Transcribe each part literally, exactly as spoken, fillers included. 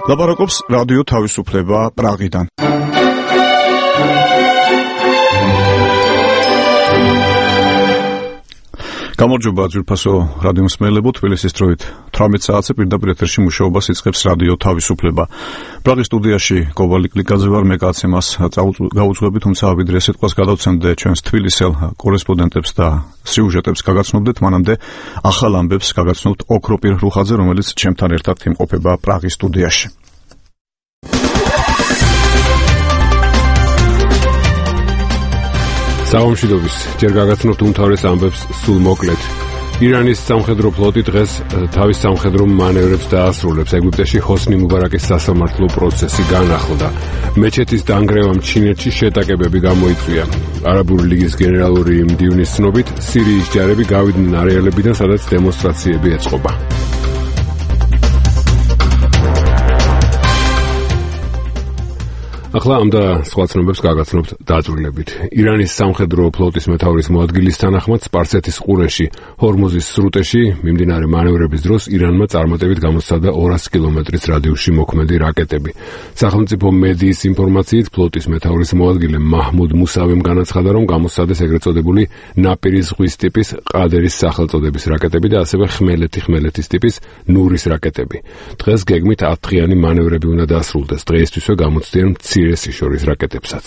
ლაპარაკობს რადიო თავისუფლება პრაღიდან. გამარჯობა ძვირფასო რადიო მსმენელებო, თბილისის დროით თვრამეტ საათზე პირდაპირ ეთერში მუშაობას იწყებს რადიო თავისუფლება. პრაღის სტუდიაში გოვალი კლიკაძე ვარ, მე კაცემას გაუძღვები, თუმცა ვიდრე სიტყვას გადავცემდე ჩვენს თბილისელ კორესპონდენტებს და სიუჟეტებს გაგაცნობდეთ, მანამდე ახალ ამბებს გაგაცნობთ ოქროპირ რუხაძე, რომელიც ჩემთან ერთად იმყოფება პრაღის სტუდიაში. საომშვიდობის, ჯერ გაგაცნობთ უმთავრეს ამბებს სულ მოკლედ. ირანის სამხედრო ფლოტი დღეს თავის სამხედრო მანევრებს დაასრულებს. ეგვიპტეში ჰოსნი მუბარაკის სასამართლო პროცესი განახლდა. მეჩეთის დანგრევამ ჩინეთში შეტაკებები გამოიწვია. არაბული ლიგის გენერალური მდივნის ცნობით, სირიის ჯარები გავიდნენ არეალებიდან, სადაც დემონსტრაციები ეწყობა. ახლა ამ და სხვა ცნობებს გაგაცნობთ დაწვრილებით. ირანის სამხედრო ფლოტის მეთაურის მოადგილის თანახმად სპარსეთის ყურეში, ჰორმუზის სრუტეში მიმდინარე მანევრების დროს ირანმა წარმატებით გამოსცადა ორასი კილომეტრის რადიუსში მოქმედი რაკეტები. სახელმწიფო მედიის ინფორმაციით, ფლოტის მეთაურის მოადგილე მაჰმუდ მუსავემ განაცხადა, რომ გამოსცადეს ეგრეთ წოდებული ნაპირის ზღვის ტიპის ყადერის სახელწოდების რაკეტები და ასევე ხმელეთი-ხმელეთის ტიპის ნურის რაკეტები. დღეს გეგმით ათდღიანი მანევრები უნდა დასრულდეს. დღეისთვისვე გამოცდიან მცირე სიშორის რაკეტებსაც.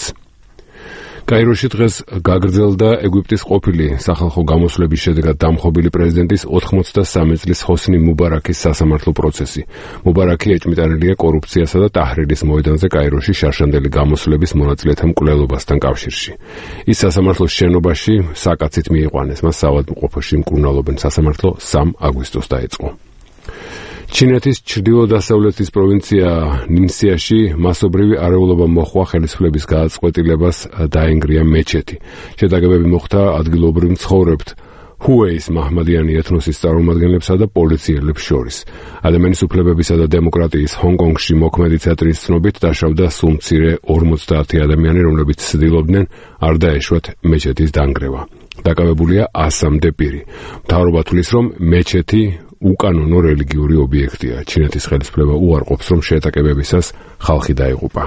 კაიროში დღეს გაგრძელდა ეგვიპტის ყოფილი სახალხო გამოსვლების შედეგად დამხობილი პრეზიდენტის ოთხმოცდასამი წლის ჰოსნი მუბარაკის სასამართლო პროცესი. მუბარაკი ეჭვმიტანილია კორუფციასა და ტაჰრირის მოედანზე კაიროში შარშანდელი გამოსვლების მონაწილეთა მკვლელობასთან კავშირში. ის სასამართლოს შენობაში საკაცით მიიყვანეს, მას საავადმყოფოში მკურნალობენ. სასამართლო სამი აგვისტოს დაეწყო. ჩინეთის ჩრდილო-დასავლეთის პროვინცია ნინსიაში მასობრივი არეულობა მოხვა ხელისუფლების გადაწყვეტილებას დაენგრია მეჩეთი. შეტაკებები მოხდა ადგილობრივ მცხოვრებთ ჰუეის მაჰმადიანი ეთნოსის წარმომადგენლებსა და პოლიციელებს შორის. ადამიანის უფლებებისა და დემოკრატიის ჰონგ-კონგში მოქმედი ცენტრის ცნობით დაშავდა სულ მცირე ორმოცდაათი ადამიანი, რომლებიც ცდილობდნენ არ დაეშვათ მეჩეთის დანგრევა. დაკავებულია ასამდე პირი. მთავრობა თვლის, რომ მეჩეთი უკანონო რელიგიური ობიექტია. ჩინეთის ხელისუფლება უარყოფს, რომ შეტაკებებისას ხალხი დაიღუპა.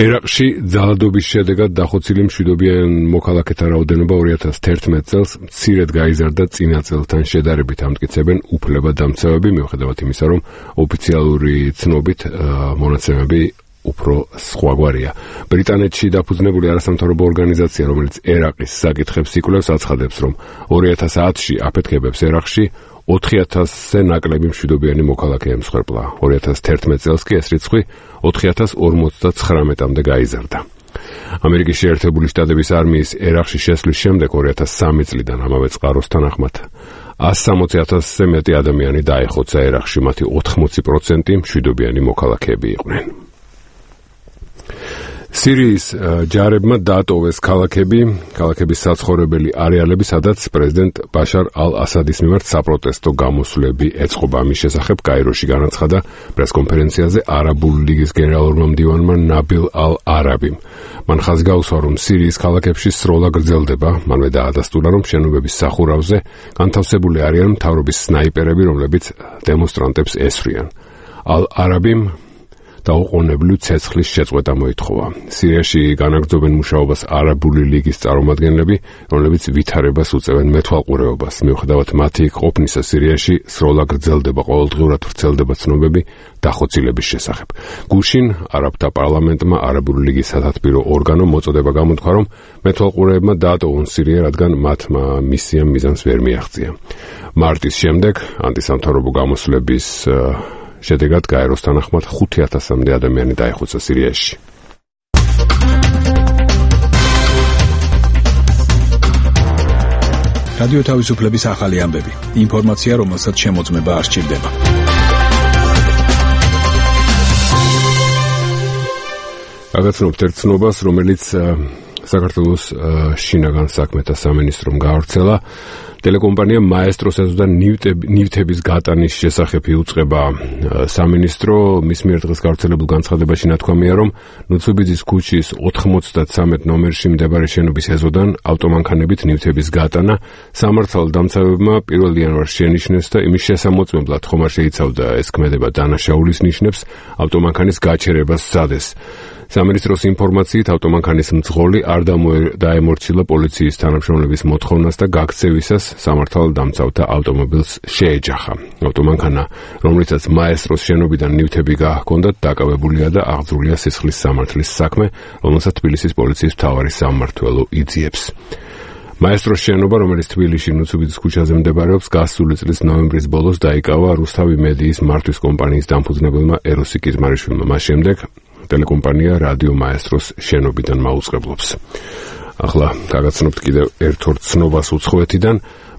ერაყში ძალადობის შედეგად დახოცილი მშვიდობიან მოქალაქეთა რაოდენობა ორი ათას თერთმეტ წელს მცირედ გაიზარდა წინა წელთან შედარებით, ამტკიცებენ უფლებადამცავები, მიუხედავად იმისა, რომ ოფიციალური ცნობით მონაცემები უფრო სხვაგვარია. ბრიტანეთში დაფუძნებული არასამთავრობო ორგანიზაცია, რომელიც ერაყის საკითხებს იკვლევს, აცხადებს, რომ ორი ათას ათში აფეთქებებს ერაყში ოთხი ათასზე ნაკლები მშვიდობიანი მოქალაქე ემსხვერპლა. ორი ათას თერთმეტ წელს კი ეს რიცხვი ოთხი ათას ორმოცდაცხრამეტამდე გაიზარდა. ამერიკის შეერთებული შტატების არმიის ერაყში შესვლის შემდეგ ორი ათას სამი წლიდან ამავე წყაროს თანახმად ასი სამოცი ათასზე მეტი ადამიანი დაეხოცა ერაყში, მათი ოთხმოცი პროცენტი მშვიდობიანი მოქალაქეები იყვნენ. სირიის ჯარებმა დაატოვეს ქალაქები, ქალაქების საცხოვრებელი არეალები, სადაც პრეზიდენტ ბაშარ ალ-ასადის მიმართ საპროტესტო გამოსვლები ეწყობა. ამის შესახებ კაიროში განაცხადა პრესკონფერენციაზე არაბული ლიგის გენერალურმა მდივანმა ნაბილ ალ-არაბიმ. მან ხაზი გაუსვა, რომ სირიის ქალაქებში სროლა გრძელდება. მანვე დაადასტურა, რომ შენობების სახურავზე განთავსებული არიან მთავრობის სნაიპერები, რომლებიც დემონსტრანტებს ესვრიან. ალ-არაბიმ დაუყოვნებლივ ცეცხლის შეწყვეტა მოითხოვა. სირიაში განაგრძობენ მუშაობას არაბული ლიგის წარმომადგენლები, რომლებიც ვითარებას უწევენ მეთვალყურეობას. მიუხედავად მათი იქ ყოფნისა, სირიაში სროლა გრძელდება, ყოველდღიურად ვრცელდება ცნობები დახოცილების შესახებ. გუშინ არაბთა პარლამენტმა არაბული ლიგის სათათბირო ორგანომ მოწოდება გამოთქვა, რომ მეთვალყურეებმა დაატოვონ სირია, რადგან მათმა მისიამ მიზანს ვერ მიაღწია. მარტის შემდეგ ანტისამთავრობო გამოსვლების შედეგად გაეროს თანახმად ხუთი ათასამდე ადამიანი დაეხოცა სირიაში. რადიო თავისუფლების ახალი ამბები. ინფორმაცია, რომელსაც შემოწმება არ სჭირდება. გაგაცნობთ ერთ ცნობას, რომელიც საქართველოს შინაგან საქმეთა სამინისტრომ გაავრცელა ტელეკომპანია მაესტროს ეზოდა ნივთების გატანის შესახებ იუწყება სამინისტრო. მის მიერ დღეს გავრცელებულ განცხადებაში ნათქვამია, რომ ნუცუბიძის ქუჩის ოთხმოცდათრამეტ ნომერში მდებარე შენობის ეზოდან ავტომანქანებით ნივთების გატანა სამართალდამცავებმა პირველ იანვარს შენიშნეს და იმის შესამოწმებლად ხომ არ შეიცავდა ეს ქმედება დანაშაულის ნიშნებს, ავტომანქანის გაჩერებას სცადეს. სამინისტროს ინფორმაციით ავტომანქანის მძღოლი არ დაემორჩილა პოლიციის თანამშრომლების მოთხოვნას და გაქცევისას სამართალდამცავთა ავტომობილს შეეჯახა. ავტომანქანა, რომლითაც მაესტროს შენობიდან ნივთები გაჰქონდათ, დაკავებულია და აღძრულია სისხლის სამართლის საქმე, რომელსაც თბილისის პოლიციის მთავარი სამმართველო იძიებს. მაესტროს შენობა, რომელიც თბილისში ნუცუბიძის ქუჩაზე მდებარეობს, გასული წლის ნოემბრის ბოლოს დაიკავა რუსთავი მედიის მართვის კომპანიის დამფუძნებელმა ეროსი კიზმარიშვილმა. მას შემდეგ ტელეკომპანია რადიო მაესტროს შენობიდან მაუწყებლობს. ახლა გაგაცნობთ კიდევ ერთ ორ ცნობას უცხოეთიდან.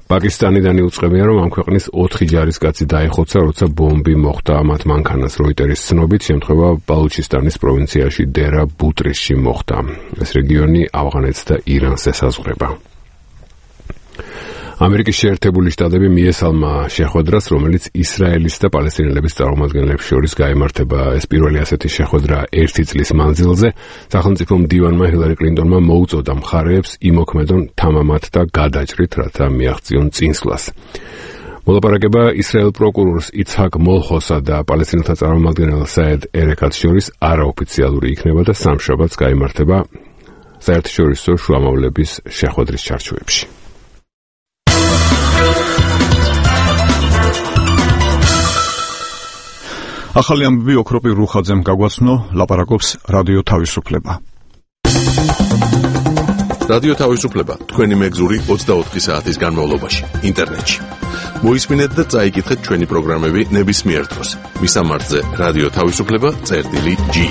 პაკისტანიდან იუწყებია, რომ ამ ქვეყნის ოთხი ჯარისკაცი დაიხოცა, როცა ბომბი მოხვდა მათ მანქანას. როიტერის ცნობით, შემთხვევა ბალუჩისტანის პროვინციაში დერა ბუტრისში მოხდა. ეს რეგიონი ავღანეთს და ირანს ესაზღვრება. ამერიკის შეერთებული შტატები მიესალმა შეხვედრას, რომელიც ისრაელის და პალესტინელების წარმომადგენლებს შორის გაიმართება. ეს პირველი ასეთი შეხვედრა ერთი წლის მანძილზე. სახელმწიფო მდივანმა ჰილარი კლინტონმა მოუწოდა მხარეებს იმოქმედონ თამამად და გადაჭრით, რათა მიაღწიონ წინსვლას. მოლაპარაკება ისრაელ პროკურორს იცჰაკ მოლხოსა და პალესტინელთა წარმომადგენელ საედ ერეკატს შორის არაოფიციალური იქნება და სამშაბათს გაიმართება საერთაშორისო შუამავლების შეხვედრის ჩარჩოებში. ახალი ამბები ოქროპი რუხაძემ გაგვაცნო, ლაპარაკობს რადიო თავისუფლება. რადიო თავისუფლება თქვენი მეგზური ოცდაოთხი საათის განმავლობაში ინტერნეტში. მოისმინეთ და წაიკითხეთ ჩვენი პროგრამები ნებისმიერ დროს. მისამართზე რადიო თავისუფლება წერტილი ჯი.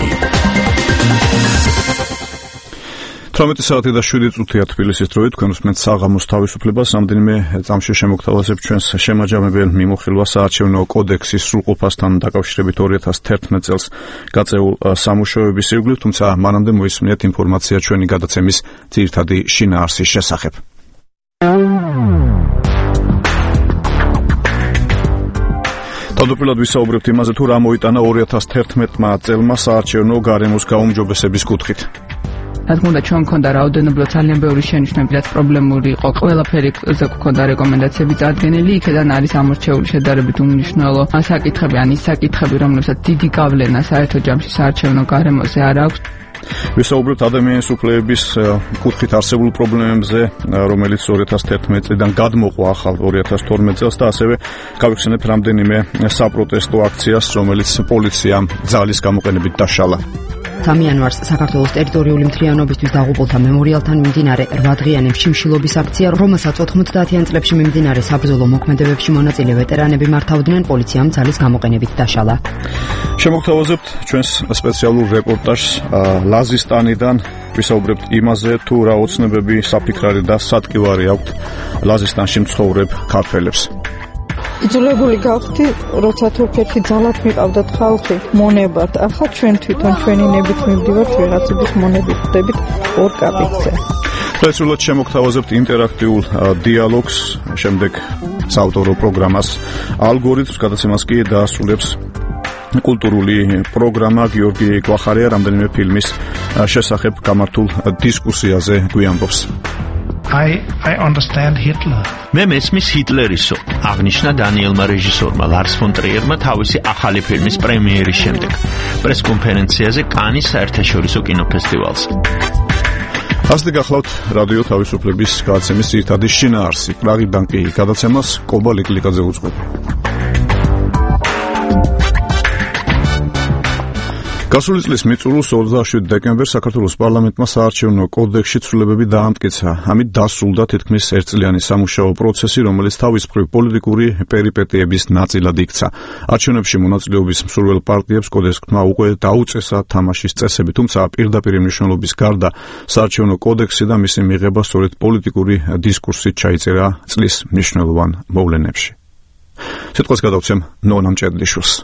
თორმეტი საათი და შვიდი წუთია თბილისის დროით, თქვენ უსმენთ საღამოს თავისუფლებას. რამდენიმე წამში შემოგთავაზებ ჩვენს შემაჯამებელ მიმოხილვას საარჩევნო კოდექსის სრულყოფასთან დაკავშირებით ორი ათას თერთმეტ წელს გაწეულ სამუშაოების ირგვლივ, თუმცა მანამდე მოისმინეთ ინფორმაცია ჩვენი გადაცემის ძირითადი შინაარსის შესახებ. თავდაპირველად ვისაუბრებთ იმაზე, თუ რა მოიტანა ორი ათას თერთმეტმა წელმა საარჩევნო გარემოს გაუმჯობესების კუთხით. რა თქმა უნდა, ჩვენ მქონდა რაოდენობრივ ძალიან ბევრი შენიშვნები, რაც პრობლემური იყო. ყველაფერი გვქონდა რეკომენდაციები წარდგენილი, იქედან არის ამორჩეული შედარებით უმნიშვნელო საკითხები, ან ის საკითხები, რომლებსაც დიდი გავლენა საერთო ჯამში საარჩევნო გარემოზე არ აქვს. ვისაუბრებთ ადამიანის უფლებების კუთხით არსებულ პრობლემებზე, რომელიც ორი ათას თერთმეტ წლიდან გადმოყვა ახალ ორი ათას თორმეტ წელს და ასევე გავიხსენებ რამდენიმე საპროტესტო აქციას, რომელიც პოლიციამ ძალის გამოყენებით დაშალა. სამი იანვარს საქართველოს ტერიტორიული მთლიანობისთვის დაღუპულთა მემორიალთან მიმდინარე რვადღიანი შიმშილობის აქცია, რომელსაც ოთხმოცდაათიან წლებში მიმდინარე საბრძოლო მოქმედებებში მონაწილე ვეტერანები მართავდნენ, პოლიციამ ძალის გამოყენებით დაშალა. შემოგთავაზებთ ჩვენს სპეციალურ რეპორტაჟს ლაზისტანიდან. ვისაუბრებთ იმაზე, თუ რა ოცნებები, საფიქრარი და სატკივარი აქვთ ლაზისტანში მცხოვრებ ქართველებს. იძულებული გავხდი, როცა თურქეთში ძალად მიყავდათ ხალხი, მონებართ. ახლა ჩვენ თვითონ ჩვენი ნებით მივდივართ ვიღაცების მონებით ხდებით ორ კაპიტზე. პრესულად შემოგთავაზებთ ინტერაქტიულ დიალოგს, შემდეგ საავტორო პროგრამას ალგორითმს, გადაცემას კი დაასრულებს კულტურული პროგრამა გიორგი გვახარია რამდენიმე ფილმის შესახებ გამართულ დისკუსიაზე გვიამბობს. I I understand Hitler. მე მესმის ჰიტლერისო, აღნიშნა დანიელმა რეჟისორმა ლარს ფონ ტრიერმა თავისი ახალი ფილმის პრემიერის შემდეგ პრესკონფერენციაზე კანის საერთაშორისო კინოფესტივალზე. ასეთი გახლავთ რადიო თავისუფლების გადაცემის ძირითადი შინაარსი. პრაღიდან კი გადაცემას კობა ლიკლიკაძე უძღვება. გასული წლის მიწურულს ოცდაშვიდი დეკემბერს საქართველოს პარლამენტმა საარჩევნო კოდექსში ცვლილებები დაამტკიცა. ამით დასრულდა თითქმის ერთწლიანი სამუშაო პროცესი, რომელიც თავის მხრივ პოლიტიკური პერიპეტიების ნაწილად იქცა. არჩევნებში მონაწილეობის მსურველ პარტიებს კოდექსმა უკვე დაუწესა თამაშის წესები, თუმცა პირდაპირ მნიშვნელობის გარდა საარჩევნო კოდექსი და მისი მიღება სწორედ პოლიტიკური დისკურსით ჩაიწერა წლის მნიშვნელოვან მოვლენებში. სიტყვას გადავცემ ნონა მჭედლიშვილს.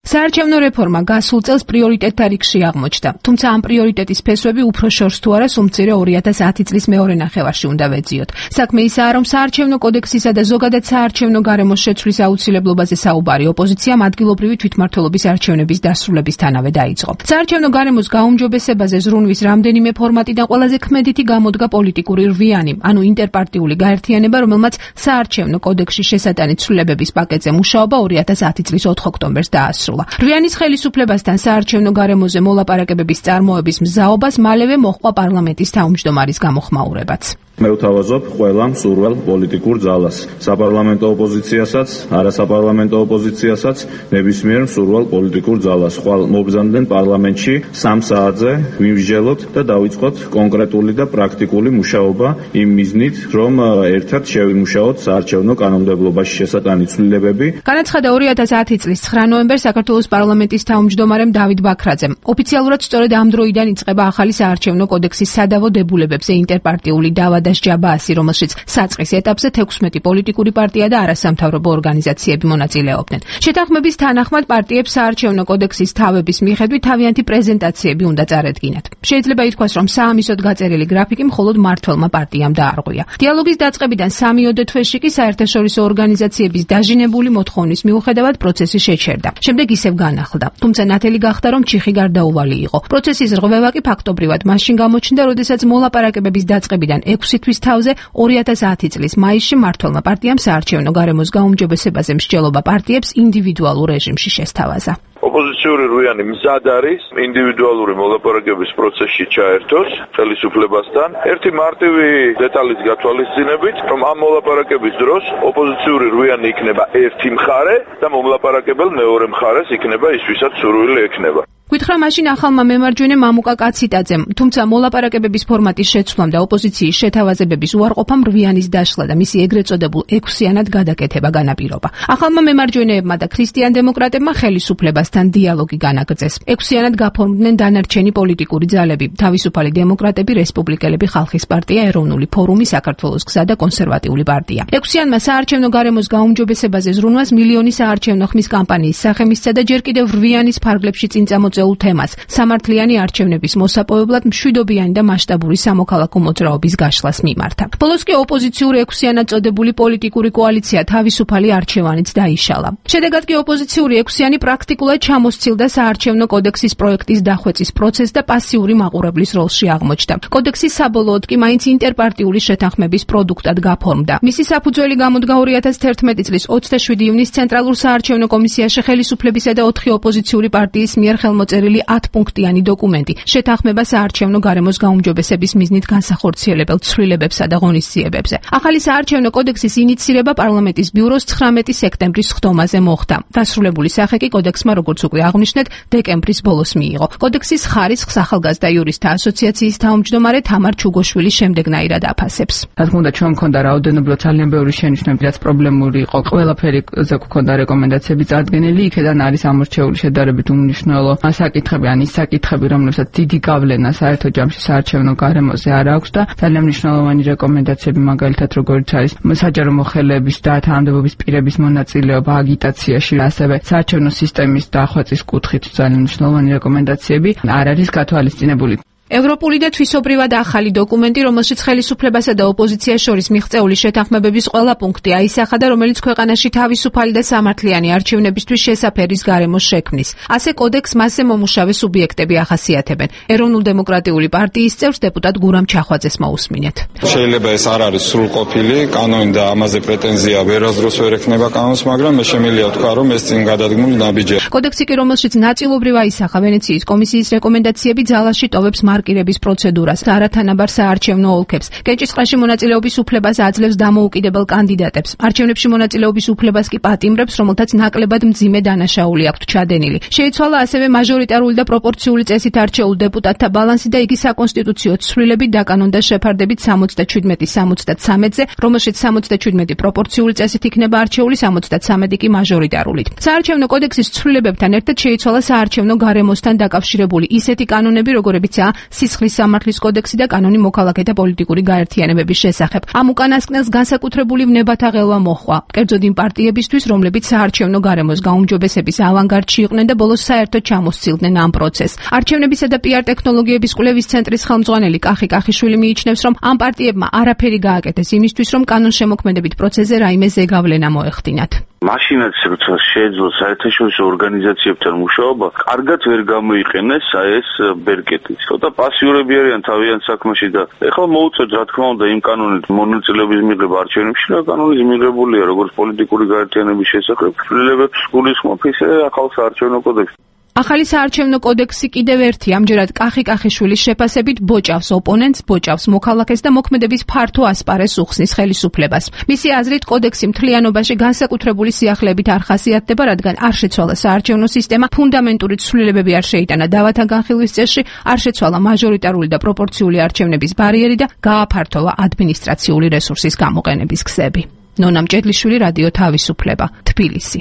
საარჩევნო რეფორმა გასულ წელს პრიორიტეტთა რიგში აღმოჩნდა, თუმცა ამ პრიორიტეტის ფესვები უფრო შორს თუ არა სულ მცირე ორი ათას ათი წლის მეორე ნახევარში უნდა ვეძიოთ. საქმე ისაა, რომ საარჩევნო კოდექსისა და ზოგადად საარჩევნო გარემოს შეცვლის აუცილებლობაზე საუბარი ოპოზიციამ ადგილობრივი თვითმმართველობის არჩევნების დასრულებისთანავე დაიწყო. საარჩევნო გარემოს გაუმჯობესებაზე ზრუნვის რამდენიმე ფორმატიდან ყველაზე ქმედითი გამოდგა პოლიტიკური რვიანი, ანუ ინტერპარტიული გაერთიანება, რომელმაც საარჩევნო კოდექსში შესატანი ცვლილებების პაკეტზე მუშაობა ორი ათას ათი წლის ოთხ ოქტომბერს დაასრულა. რვიანის ხელისუფლებასთან საარჩევნო გარემოზე მოლაპარაკებების წარმოების მზაობას მალევე მოჰყვა პარლამენტის თავმჯდომარის გამოხმაურებაც. მე ვთავაზობ ყველა მსურველ პოლიტიკურ ძალას, საპარლამენტო ოპოზიციასაც, არასაპარლამენტო ოპოზიციასაც, ნებისმიერ მსურველ პოლიტიკურ ძალას. ხვალ მობრძანდნენ პარლამენტში სამ საათზე ვიმსჯელოთ და დავიწყოთ კონკრეტული და პრაქტიკული მუშაობა იმ მიზნით, რომ ერთად შევიმუშაოთ საარჩევნო კანონმდებლობაში შესატანი ცვლილებები. განაცხადა ორი ათას ათი წლის ცხრა ნოემბერს საქართველოს პარლამენტის თავმჯდომარემ დავით ბაქრაძემ. ოფიციალურად სწორედ ამ დროიდან იწყება ახალი საარჩევნო კოდექსის სადავო დებულებებზე ინტერპარტიული დავა და სჯაბაასი, რომელშიც საწყის ეტაპზე თექვსმეტი პოლიტიკური პარტია და არასამთავრობო ორგანიზაციები მონაწილეობდნენ. შეთანხმების თანახმად პარტიებს საარჩევნო კოდექსის თავების მიხედვით თავიანთი პრეზენტაციები უნდა წარედგინათ. შეიძლება ითქვას, რომ საამისოდ გაწერილი გრაფიკი მხოლოდ მმართველმა პარტიამ დაარღვია. დიალოგის დაწყებიდან სამიოდე თვეში კი საერთაშორისო ორგანიზაციების დაჟინებული მოთხოვნის მიუხედავად პროცესი შეჩერდა. შემდეგ ისევ განახლდა. თუმცა ნათელი გახდა, რომ ჩიხი გარდაუვალი იყო. პროცესის რღვევა კი ფაქტობრივად მაშინ გამოჩნდა, როდესაც მოლაპარაკებების დაწყებიდან ექვსი თვის თავზე ორი ათას ათი წლის მაისში მმართველმა პარტიამ საარჩევნო გარემოს გაუმჯობესებაზე მსჯელობა პარტიებს ინდივიდუალურ რეჟიმში შესთავაზა. ოპოზიციური რვიანი მზად არის ინდივიდუალური მოლაპარაკების პროცესში ჩაერთოს ხელისუფლებასთან. ერთი მარტივი დეტალის გათვალისწინებით, რომ ამ მოლაპარაკების დროს ოპოზიციური რვიანი იქნება ერთი მხარე და მომლაპარაკებელ მეორე მხარეს იქნება ის, ვისაც სურვილი ექნება. გითხრა მაშინ ახალმა მემარჯვენე მამუკა კაციტაძემ, თუმცა მოლაპარაკებების ფორმატის შეცვლამ და ოპოზიციის შეთავაზებების უარყოფამ რვიანის დაშლა და მისი ეგრეთ წოდებულ ექვსიანად გადაკეთება განაპირობა. ახალმა მემარჯვენეებმა და ქრისტიან-დემოკრატებმა ხელისუფლებასთან დიალოგი განაგრძეს. ექვსიანად გაფორმდნენ დანარჩენი პოლიტიკური ძალები: თავისუფალი დემოკრატები, რესპუბლიკელები, ხალხის პარტია, ეროვნული ფორუმი, საქართველოს გზა და კონსერვატიული პარტია. ექვსიანმა საარჩევნო გარემოს გაუმჯობესებაზე ზრუნვას მილიონი საარჩევნო ხმის კამპანიის სახე მისცა და ჯერ კიდევ რვიანის ფარგლებში წინ წამოწეულ თემას სამართლიანი არჩევნების მოსაპოვებლად მშვიდობიანი და მასშტაბური სამოქალაქო მოძრაობის გაშლას მიმართა. ბოლოს კი ოპოზიციური ექვსიანად წოდებული პოლიტიკური კოალიცია თავისუფალი არჩევანიც დაიშალა. შედეგად კი ოპოზიციური ექვსიანი პრაქტიკულად ჩამოსცილდა საარჩევნო კოდექსის პროექტის დახვეწის პროცესს და პასიური მაყურებლის როლში აღმოჩნდა. კოდექსი საბოლოოდ კი მაინც ინტერპარტიული შეთანხმების პროდუქტად გაფორმდა. მისი საფუძველი გამოდგა ორი ათას თერთმეტი წლის ოცდაშვიდი ივნის ცენტრალურ საარჩევნო კომისიაში ხელისუფლებისა და ოთხი ოპოზიციური პარტიის მიერ ხელმოწერილი ათპუნქტიანი დოკუმენტი შეთანხმება საარჩევნო გარემოს გაუმჯობესების მიზნით განსახორციელებელ ცვლილებებსა და ღონისძიებებზე. ახალი საარჩევნო კოდექსის ინიცირება პარლამენტის ბიუროს ცხრამეტი სექტემბრის ხდომაზე მოხდა. დასრულებული სახე კი კოდექსმა, როგორც უკვე აღვნიშნეთ, დეკემბრის ბოლოს მიიღო. კოდექსის ხარისხს ახალგაზრდა იურისტთა ასოციაციის თავმჯდომარე თამარ ჩუგოშვილი შემდეგნაირად აფასებს. რა თქმა უნდა, ჩვენ მქონდა რაოდენობრივად ძალიან ბევრი შენიშვნები, რაც პრობლემური იყო. ყველაფერი ზე გვქონდა რეკომენდაციები წარდგენილი, იქედან არის ამორჩეული შედარებით უმნიშვნელო საკითხები, ან ის საკითხები, რომლებსაც დიდი გავლენა საერთო ჯამში საარჩევნო გარემოზე არ აქვს და ძალიან მნიშვნელოვანი რეკომენდაციები, მაგალითად როგორიც არის საჯარო მოხელეების და თანამდებობის პირების მონაწილეობა აგიტაციაში, ასევე საარჩევნო სისტემის დახვეწის კუთხით ძალიან მნიშვნელოვანი რეკომენდაციები არ არის გათვალისწინებული. ევროპული და თვისობრივად ახალი დოკუმენტი, რომელშიც ხელისუფლებასა და ოპოზიციას შორის მიღწეული შეთანხმებების ყველა პუნქტი აისახა და რომელიც ქვეყანაში თავისუფალი და სამართლიანი არჩევნებისთვის შესაფერის გარემოს შექმნის. ასე კოდექს მასზე მომუშავე სუბიექტები ახასიათებენ. ეროვნულ-დემოკრატიული პარტიის წევრს დეპუტატ გურამ ჩახვაძეს მოусმინეთ. შეიძლება ეს არ არის სრულყოფილი კანონი და ამაზე პრეტენზია ვერასდროს ვერ ექნება კანონს, მაგრამ მე შემიძლია ვთქვა, რომ ეს წინ გადადგმული ნაბიჯია. კოდექსი კი, რომელშიც ნაწილობრივ აისახა ვენეციის კომისიის რეკომენდაციები, ძალაში ტოვებს მარკირების პროცედურას, არათანაბარ საარჩევნო ოლქებს, კენჭისყრაში მონაწილეობის უფლებას აძლევს დამოუკიდებელ კანდიდატებს. არჩევნებში მონაწილეობის უფლებას კი პატიმრებს, რომელთაც ნაკლებად მძიმე დანაშაული აქვთ ჩადენილი. შეიცვალა ასევე მაჟორიტარული და პროპორციული წესით არჩეულ დეპუტატთა ბალანსი და იგი საკონსტიტუციო ცვლილებით დაკანონდა შეფარდებით სამოცდაჩვიდმეტი სამოცდათრამეტზე, რომელშიც სამოცდაჩვიდმეტი პროპორციული წესით იქნება არჩეული, სამოცდათრამეტი კი მაჟორიტარულით. საარჩევნო კოდექსის ცვლილებებთან ერთად შეიცვალა საარჩევნო გარემოსთან დაკავშირებული ისეთი კანონები, როგორებიცაა სისხლის სამართლის კოდექსი და კანონი მოქალაქეთა პოლიტიკური გაერთიანებების შესახებ. ამ უკანასკნელს განსაკუთრებული ვნებათა ღელვა მოჰყვა. კერძოდ იმ პარტიებისთვის, რომლებიც საარჩევნო გარემოს გაუმჯობესების ავანგარდში იყვნენ და ბოლოს საერთოდ ჩამოსცილდნენ ამ პროცესს. არჩევნებისა და პიარ ტექნოლოგიების კვლევის ცენტრის ხელმძღვანელი კახი კახიშვილი მიიჩნევს, რომ ამ პარტიებმა არაფერი გააკეთეს იმისთვის, რომ კანონშემოქმედებით პროცესზე რაიმე ზეგავლენა მოეხდინათ. მაშინაც როცა შეეძლო საერთაშორისო ორგანიზაციებთან მუშაობა, კარგად ვერ გამოიყენეს ეს ბერკეტი. ცოტა პასიურები არიან თავიანთ საქმეში და ეხლა მოუწევთ რა თქმა უნდა იმ კანონით მონაწილეობის მიღება არჩევნებში და კანონის მიღებულია როგორც პოლიტიკური გაერთიანების შესახებ ცვლილებებს გულისხმობ ისე ახალ საარჩევნო კოდექსში. ახალი საარჩევნო კოდექსი კიდევ ერთი ამჯერად კახი კახიშვილის შეფასებით ბოჭავს ოპონენტს, ბოჭავს მოქალაქეს და მოქმედების ფართო ასპარეზს უხსნის ხელისუფლებას. მისი აზრით კოდექსი მთლიანობაში განსაკუთრებული სიახლეებით არ ხასიათდება, რადგან არ შეცვალა საარჩევნო სისტემა, ფუნდამენტური ცვლილებები არ შეიტანა დავათა განხილვის წესში, არ შეცვალა მაჟორიტარული და პროპორციული არჩევნების ბარიერი და გააფართოვა ადმინისტრაციული რესურსის გამოყენების გზები. ნონა მჭედლიშვილი, რადიო თავისუფლება, თბილისი.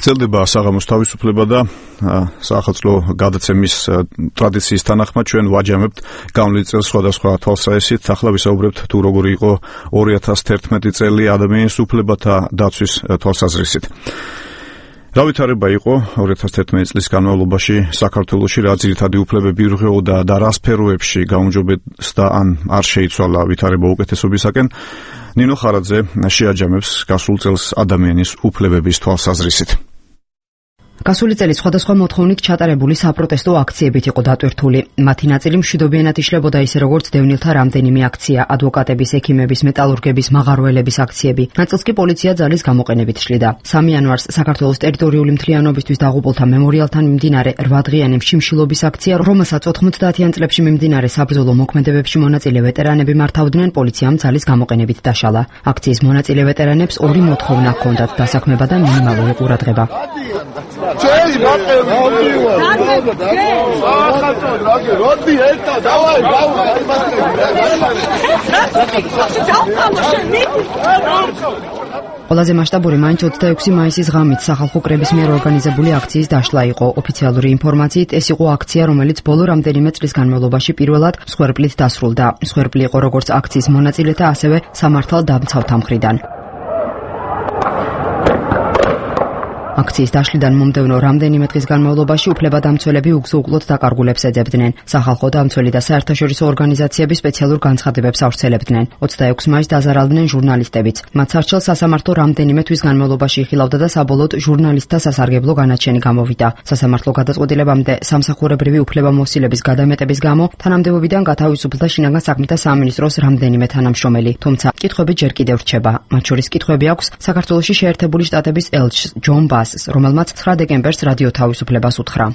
ძლდება საღამოს თავისუფლება და საახალწლო გადაცემის ტრადიციის თანახმად ჩვენ ვაჯამებთ გავლენილ წელს სხვადასხვა თვალსაჩინით. ახლა ვისაუბრებთ თუ როგორი იყო ორი ათას თერთმეტი წელი ადამიანის უფლებათა დაცვის თვალსაზრისით. რა ვითარება იყო ორი ათას თერთმეტი წლის განმავლობაში საქართველოში, რა ძირითადი უფლებები ირღვეოდა და რა სფეროებში გაუმჯობესდა ან არ შეიცვალა ვითარება უკეთესობისაკენ. ნინო ხარაძე შეაჯამებს გასულ წელს ადამიანის უფლებების თვალსაზრისით. გასული წელი სხვადასხვა მოთხოვნით ჩატარებული საპროტესტო აქციებით იყო დატვირთული. მათი ნაწილი მშვიდობიანად იშლებოდა ისე როგორც დევნილთა რამდენიმე აქცია, ადვოკატების, ექიმების, მეტალურგების, მაღაროელების აქციები. ნაწილს კი პოლიცია ძალის გამოყენებით შლიდა. სამი იანვარს საქართველოს ტერიტორიული მთლიანობისთვის დაღუპულთა მემორიალთან მიმდინარე რვადღიანი შიმშილობის აქცია, რომელსაც ოთხმოცდაათიან წლებში მიმდინარე საბრძოლო მოქმედებებში მონაწილე ვეტერანები მართავდნენ, პოლიციამ ძალის გამოყენებით დაშალა. აქციის მონაწილე ვეტერანებს ორი მოთხოვნა ჰქონდათ: დასაქმება და მინიმალური ყურადღება. Cześć, Mateusz! Rodbi, eta, dawaj, ყველაზე მასშტაბური მაინც ოცდაექვსი მაისის ღამით სახალხო კრების მიერ ორგანიზებული აქციის დაშლა იყო. ოფიციალური ინფორმაციით ეს იყო აქცია, რომელიც ბოლო რამდენიმე წლის განმავლობაში პირველად მსხვერპლით დასრულდა. მსხვერპლი იყო როგორც აქციის მონაწილეთა, ასევე სამართალდამცავთა მხრიდან. აქციის დაშლიდან მომდევნო რამდენიმე დღის განმავლობაში უფლებადამცველები უგზო-უკლოდ დაკარგულებს ეძებდნენ. სახალხო დამცველი და საერთაშორისო ორგანიზაციები სპეციალურ განცხადებებს ავრცელებდნენ. ოცდაექვსი მაისს დაზარალდნენ ჟურნალისტებიც. მათ სარჩელს სასამართლო რამდენიმე თვის განმავლობაში იხილავდა და საბოლოოდ ჟურნალისტთა სასარგებლო განაჩენი გამოვიდა. სასამართლო გადაწყვეტილებამდე სამსახურებრივი უფლებამოსილების გადამეტების გამო თანამდებობიდან გათავისუფლდა შინაგან საქმეთა სამინისტროს რამდენიმე თანამშრომელი. თუმცა კითხვები ჯერ კიდევ რჩება. მათ შორის კითხვები აქვს საქართველოში შეერთებული შტატების ელჩს ჯონ ბას, რომელმაც ცხრა დეკემბერს რადიო თავისუფლებას უთხრა.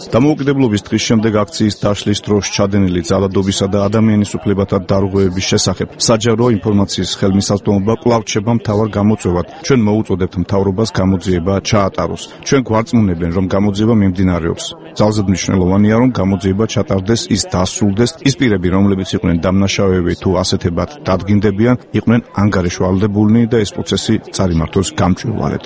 დამოუკიდებლობის დღის შემდეგ აქციის დაშლის დროს ჩადენილი ძალადობისა და ადამიანის უფლებათა დარღვევების შესახებ საჯარო ინფორმაციის ხელმისაწვდომობა კვლავ რჩება მთავარ გამოწვევად. ჩვენ მოუწოდებთ მთავრობას გამოძიება ჩაატაროს. ჩვენ გვარწმუნებენ, რომ გამოძიება მიმდინარეობს. ძალზედ მნიშვნელოვანია, რომ გამოძიება ჩატარდეს, ის დასრულდეს. ის პირები, რომლებიც იყვნენ დამნაშავეები თუ ასეთებად დადგინდებიან, იყვნენ ანგარიშვალდებულნი და ეს პროცესი წარიმართოს გამჭვირვალედ.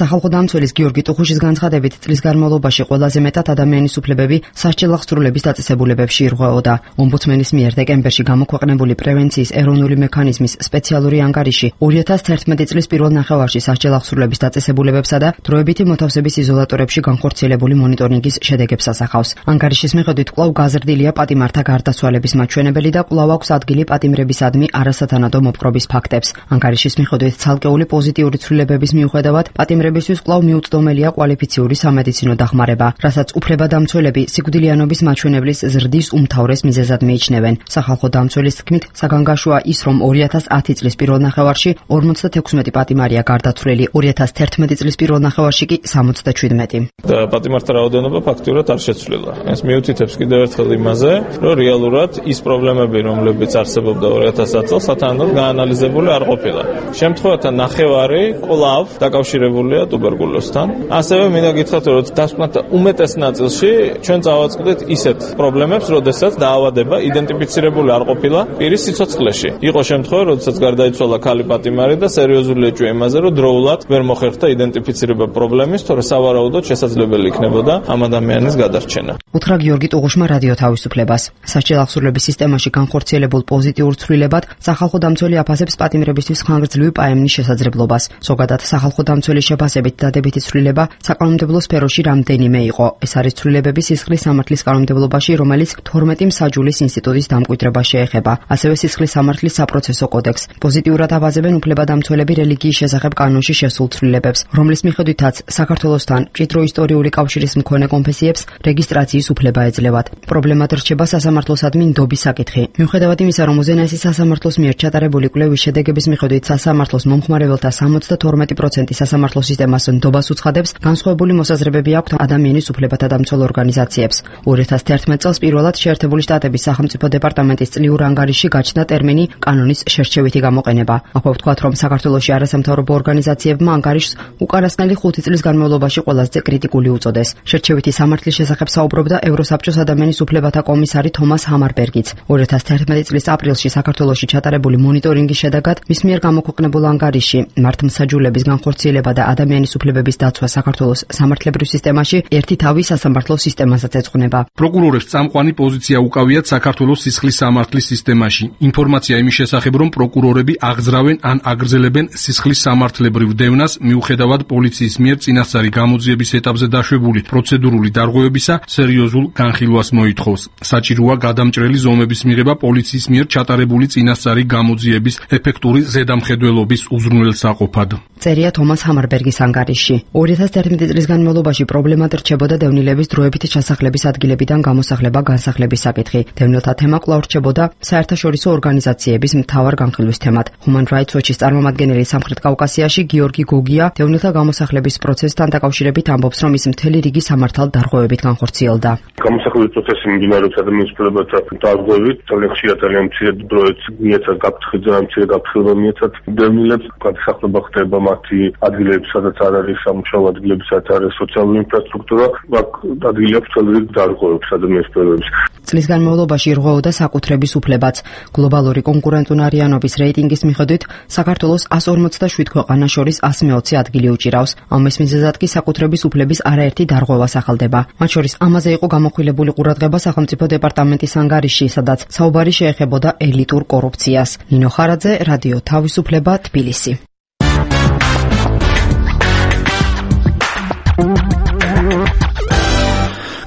სახალხო დამცველის გიორგი ტუხუშის განცხადებით, წლის განმავლობაში ყველაზე მეტად ადამიანის უფლებები სასჯელ აღსრულების დაწესებულებებში ირღვეოდა. ომბუდსმენის მიერ დეკემბერში გამოქვეყნებული პრევენციის ეროვნული მექანიზმის სპეციალური ანგარიში ორი ათას თერთმეტი წლის პირველ ნახევარში სასჯელ აღსრულების დაწესებულებებსა და დროებითი მოთავსების იზოლატორებში განხორციელებული მონიტორინგის შედეგებს ასახავს. ანგარიშის მიხედვით კვლავ გაზრდილია პატიმართა გარდაცვალების მაჩვენებელი და კვლავ აქვს ადგილი პატიმრებისადმი არასათანადო მოპყრობის ფაქტებს. ანგარიშის მიხედვით ცალკეული პოზიტიური ცვლილებების მიუხედავად პატიმრებისთვის კვლავ მიუწვდომელია კვალიფიციური სამედიცინო დახმარება, რასაც უფლებადამცველები სიკვდილიანობის მაჩვენებლის ზრდის უმთავრეს მიზეზად მიიჩნევენ. სახალხო დამცველის თქმით, საგანგაშოა ის, რომ ორი ათას ათი წლის პირველ ნახევარში ორმოცდათექვსმეტი პატიმარია გარდაცვლილი, ორი ათას თერთმეტი წლის პირველ ნახევარში კი სამოცდაშვიდმეტი. და პატიმართა რაოდენობა ფაქტურად არ შეცვლილა. ეს მიუთითებს კიდევ ერთხელ იმაზე, რომ რეალურად ის პრობლემები, რომლებიც არსებობდა ორი ათას ათ წელს, სათანადოდ გაანალიზდა გააზრებული არ ყოფილა. შემთხვევათა ნახევარი კვლავ დაკავშირებულია ტუბერკულოზთან. ასევე მინდა გითხრათ, რომ დასკვნათა უმეტეს ნაწილში ჩვენ წავაწყდით ისეთ პრობლემებს, როდესაც დაავადება იდენტიფიცირებული არ ყოფილა პირის სიცოცხლეში. იყო შემთხვევა, როდესაც გარდაიცვალა ქალი პატიმარი და სერიოზული ეჭვია იმაზე, რომ დროულად ვერ მოხერხდა იდენტიფიცირება პრობლემის, თორე სავარაუდოდ შესაძლებელი იქნებოდა ამ ადამიანის გადარჩენა. უთხრა გიორგი ტუღუშმა რადიო თავისუფლებას. სასჯელ აღსრულების სისტემაში განხორციელებულ პოზიტიურ ცვლილებად სახალხო დამცველი აფასებს პატიმრებისთვის ხანგრძლივი პაემნის შესაძლებლობას. ზოგადად სახალხო დამცველი შეფასებით დადებითი ცვლილება საკანონმდებლო სფეროში რამდენიმე იყო. ეს არის ცვლილებები სისხლის სამართლის კანონმდებლობაში, რომელიც თორმეტი მსაჯულის ინსტიტუტის დამკვიდრებას შეეხება. ასევე სისხლის სამართლის საპროცესო კოდექსს. პოზიტიურად აბაზებენ უფლებადამცველები რელიგიის შესახებ კანონში შესულ ცვლილებებს, რომლის მიხედვითაც საქართველოსთან მჭიდრო ისტორიული კავშირის მქონე კონფესიებს რეგისტრაციის უფლება ეძლევათ. პრობლემად რჩება სასამართლოსადმი ნდობის საკითხი. მიუხედავად იმისა, რომ უზენაესი სასამართლოს მიერ ჩატარებული კვლევის შედეგების მიხედვით სასამართლოს მომხმარებელთა სამოცდა თორმეტი პროცენტი სასამართლო სისტემას ნდობას უცხადებს, განსხვავებული მოსაზრებები აქვთ ადამიანის უფლებათა დამცველ ორგანიზაციებს. ორი ათას თერთმეტ წელს პირველად შეერთებული შტატების სახელმწიფო დეპარტამენტის წლიურ ანგარიშში გაჩნდა ტერმინი კანონის შერჩევითი გამოყენება. აქვე ვთქვათ, რომ საქართველოში არასამთავრობო ორგანიზაციებმა ანგარიშს უკანასკნელი ხუთი წლის განმავლობაში ყველაზე კრიტიკული უწოდეს. შერჩევითი სამართლის შესახებ საუბრობდა ევროსაბჭოს ადამიანის უფლებათა კომისარი თომას ჰამარბერგიც. ორი ათას თერთმეტი წლის აპრილში საქართველოში ჩატარებული მონიტორინგის შედეგად მის მიერ გამოქვეყნებულ ანგარიშში მართლმსაჯულების განხორციელება და ადამიანის უფლებების დაცვა საქართველოს სამართლებრივ სისტემაში ერთი თავი სასამართლო სისტემასაც ეძღვნება. პროკურორებს წამყვანი პოზიცია უკავიათ საქართველოს სისხლის სამართლის სისტემაში. ინფორმაცია იმის შესახებ, რომ პროკურორები აღძრავენ ან აგრძელებენ სისხლის სამართლებრივ დევნას, მიუხედავად პოლიციის მიერ წინასწარი გამოძიების ეტაპზე დაშვებული პროცედურული დარღვევებისა, სერიოზულ განხილვას მოითხოვს. საჭიროა გადამჭრელი ზომების მიღება პოლიციის მიერ ჩატარებული წინასწარი გამოძიების ეფექტური ზედამხედველობის უზრუნველსაყოფად. წერია თომას ჰამარბერგის ანგარიშში. ორი ათას თერთმეტი წლის განმავლობაში პრობლემად რჩებოდა დევნილების დროებით ჩასახლების ადგილებიდან გამოსახლება განსახლების საკითხი. დევნილთა თემა კვლავ რჩებოდა საერთაშორისო ორგანიზაციების მთავარ განხილვის თემად. Human Rights Watch-ის წარმომადგენელი სამხრეთ კავკასიაში გიორგი გოგია დევნილთა გამოსახლების პროცესთან დაკავშირებით ამბობს, რომ ის მთელი რიგი სამართალ დარღვევებით განხორციელდა. გამოსახლების პროცესი მიმდინარეობს ადამიანის უფლებათა დარღვევით, ძალიან ხშირად ძალიან მცირე დროით მიეცათ გაფრთხილება, ძალიან მცირე გაფრთხილება მიეცათ დევნილებს, გადასახლება ხდება მათი ადგილებში, სადაც არ არის სამუშაო ადგილები, სადაც არ არის სოციალური ინფრასტრუქტურა, აქ ადგილი აქვს ძალიან რიგ დარღვევებს ადამიანის უფლებებს. წლის განმავლობაში რღვეოდა საკუთრების უფლებაც. გლობალური კონკურენტუნარიანობის რეიტინგის მიხედვით საქართველოს εκατს ორმოცდაშვიდ ქვეყანას შორის εκατს მეოცე ადგილი უჭირავს. ამის მიზეზად კი საკუთრების უფლების არაერთი დარღვევა სახელდება. მათ შორის ამაზე იყო გამახვილებული ყურადღება სახელმწიფო დეპარტამენტის ანგარიშში, სადაც საუბარი შეეხებოდა ელიტურ კორუფციას. ნინო ხარაძე, რადიო თავისუფლება, თბილისი.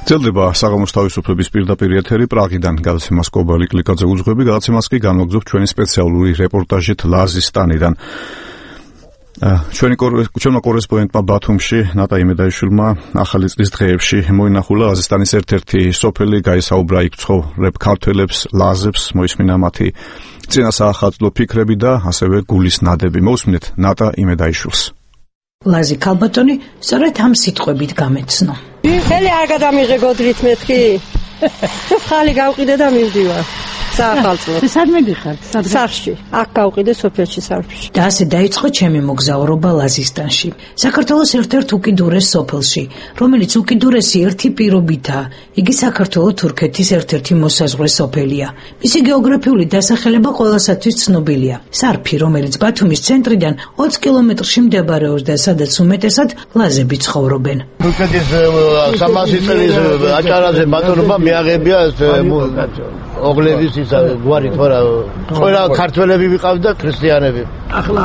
ძელდება საღამოს თავისუფლების პირდაპირ ეთერი პრაღიდან. გადაცემას კობალი კლიკაძე უძღვები, გადაცემას კი განვაგრძობთ ჩვენი სპეციალური რეპორტაჟით ლაზისტანიდან. ჩვენი ჩვენმა კორესპონდენტმა ბათუმში ნატა იმედაიშვილმა ახალი წლის დღეებში მოინახულა ლაზისტანის ერთ-ერთი სოფელი, გაისაუბრა იქ ცხოვრებ ქართველებს, ლაზებს, მოისმინა მათი წინასაახალწლო ფიქრები და ასევე გულის ნადები. მოусმინეთ ნატა იმედაიშვილს. ლაზი ქალბატონი სწორედ ამ სიტყვებით გამეცნო. ხელი არ გადამიღე გოდრით მეთქი. ხალი გავყიდე და მივდივარ. საახალწლო. სად მიდიხართ? სახლში. აქ გავყიდე სოფელში სახლში. და ასე დაიწყო ჩემი მოგზაურობა ლაზისტანში, საქართველოს ერთ-ერთ უკიდურეს სოფელში, რომელიც უკიდურესი ერთი პირობითაა. იგი საქართველო-თურქეთის ერთ-ერთი მოსაზღვრე სოფელია. მისი გეოგრაფიული დასახელება ყველასათვის ცნობილია. სარფი, რომელიც ბათუმის ცენტრიდან ოცი კილომეტრში მდებარეობს და სადაც უმეტესად ლაზები ცხოვრობენ. თურქეთის სამასი წლის აჭარაზე ბატონობა მიაღებია ოგლების ისა გვარი თორა ყველა ქართველები ვიყავ და ქრისტიანები. ახლა